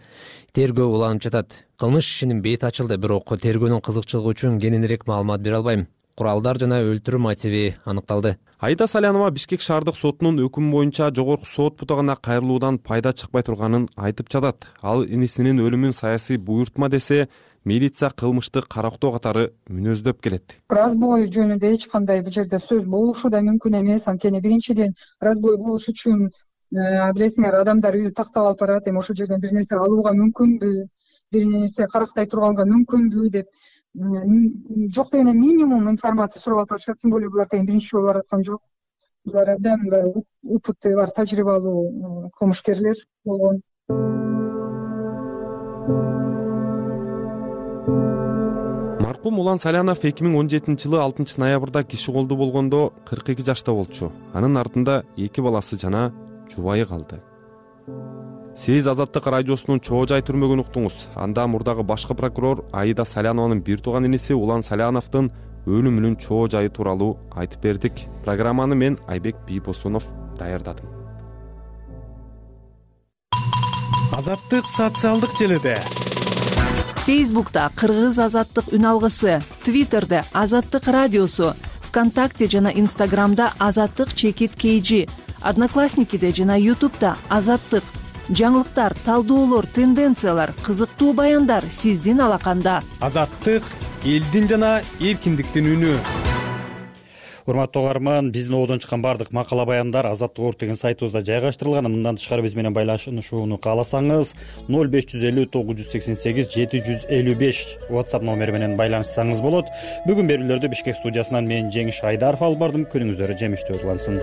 Тергөө уланып жатат. Кылмыш ишинин бети ачылды, бирок тергөөнүн кызыкчылыгы үчүн кененирээк маалымат бере албайм. Куралдар жана өлтүрүү мотиви аныкталды. Аида Салянова Бишкек шаардык сотунун өкүмү боюнча жогорку сот бутагына кайрылуудан пайда чыкпай турганын айтып жатат. Ал инисинин өлүмүн саясий буйртма десе, милиция кылмышты карактоо катары мүнөздөп келет. Разбой жөнүндө эч кандай бул жерде сөз болушу да мүмкүн эмес. Анткени биринчиден разбой болуш үчүн билесиңер, адамдар үйдү тактап алып барат, эми ошол жерден бир нерсе алууга мүмкүнбү, бир нерсе карактай турганга мүмкүнбү деп жок дегенде минимум информация сурап алып барышат. Тем более булар тең биринчи жолу бараткан жок. Булар абдан опыты бар, тажрыйбалуу кылмышкерлер болгон. Маркум Улан Салянов эки миң он жетинчи жылы алтынчы ноябрда киши колдуу болгондо кырк эки жашта болчу. Анын артында эки баласы жана жубайы калды. Сиз Азаттык радиосунун чоо жай түрмөгүн уктуңуз. Анда мурдагы башкы прокурор Аида Салянованын бир тууган иниси Улан Саляновдун өлүмүнүн чоо жайы тууралуу айтып бердик. Программаны мен Айбек Бийбосунов даярдадым. Азаттык социалдык желиде. Фейсбукта Кыргыз азаттык үн алгысы, Твиттерде Азаттык радиосу, ВКонтакте жана Инстаграмда Азаттык чекит кейжи, Одноклассникиде жана Ютубда Азаттык. Жаңылыктар, талдоолор, тенденциялар, кызыктуу баяндар сиздин алаканда. Азаттык элдин жана эркиндиктин үнү. Урматтуу угарман, биздин оодон чыккан бардык макала баяндар Азаттык орг деген сайтыбызда жайгаштырылган. Мындан тышкары биз менен байланышууну кааласаңыз ноль беш жүз элүү тогуз жүз сексен сегиз жети жүз элүү беш WhatsApp номери менен байланышсаңыз болот. Бүгүн берүүлөрдү Бишкек студиясынан мен Жеңиш Айдаров алып бардым. Күнүңүздөр жемиштүү улансын.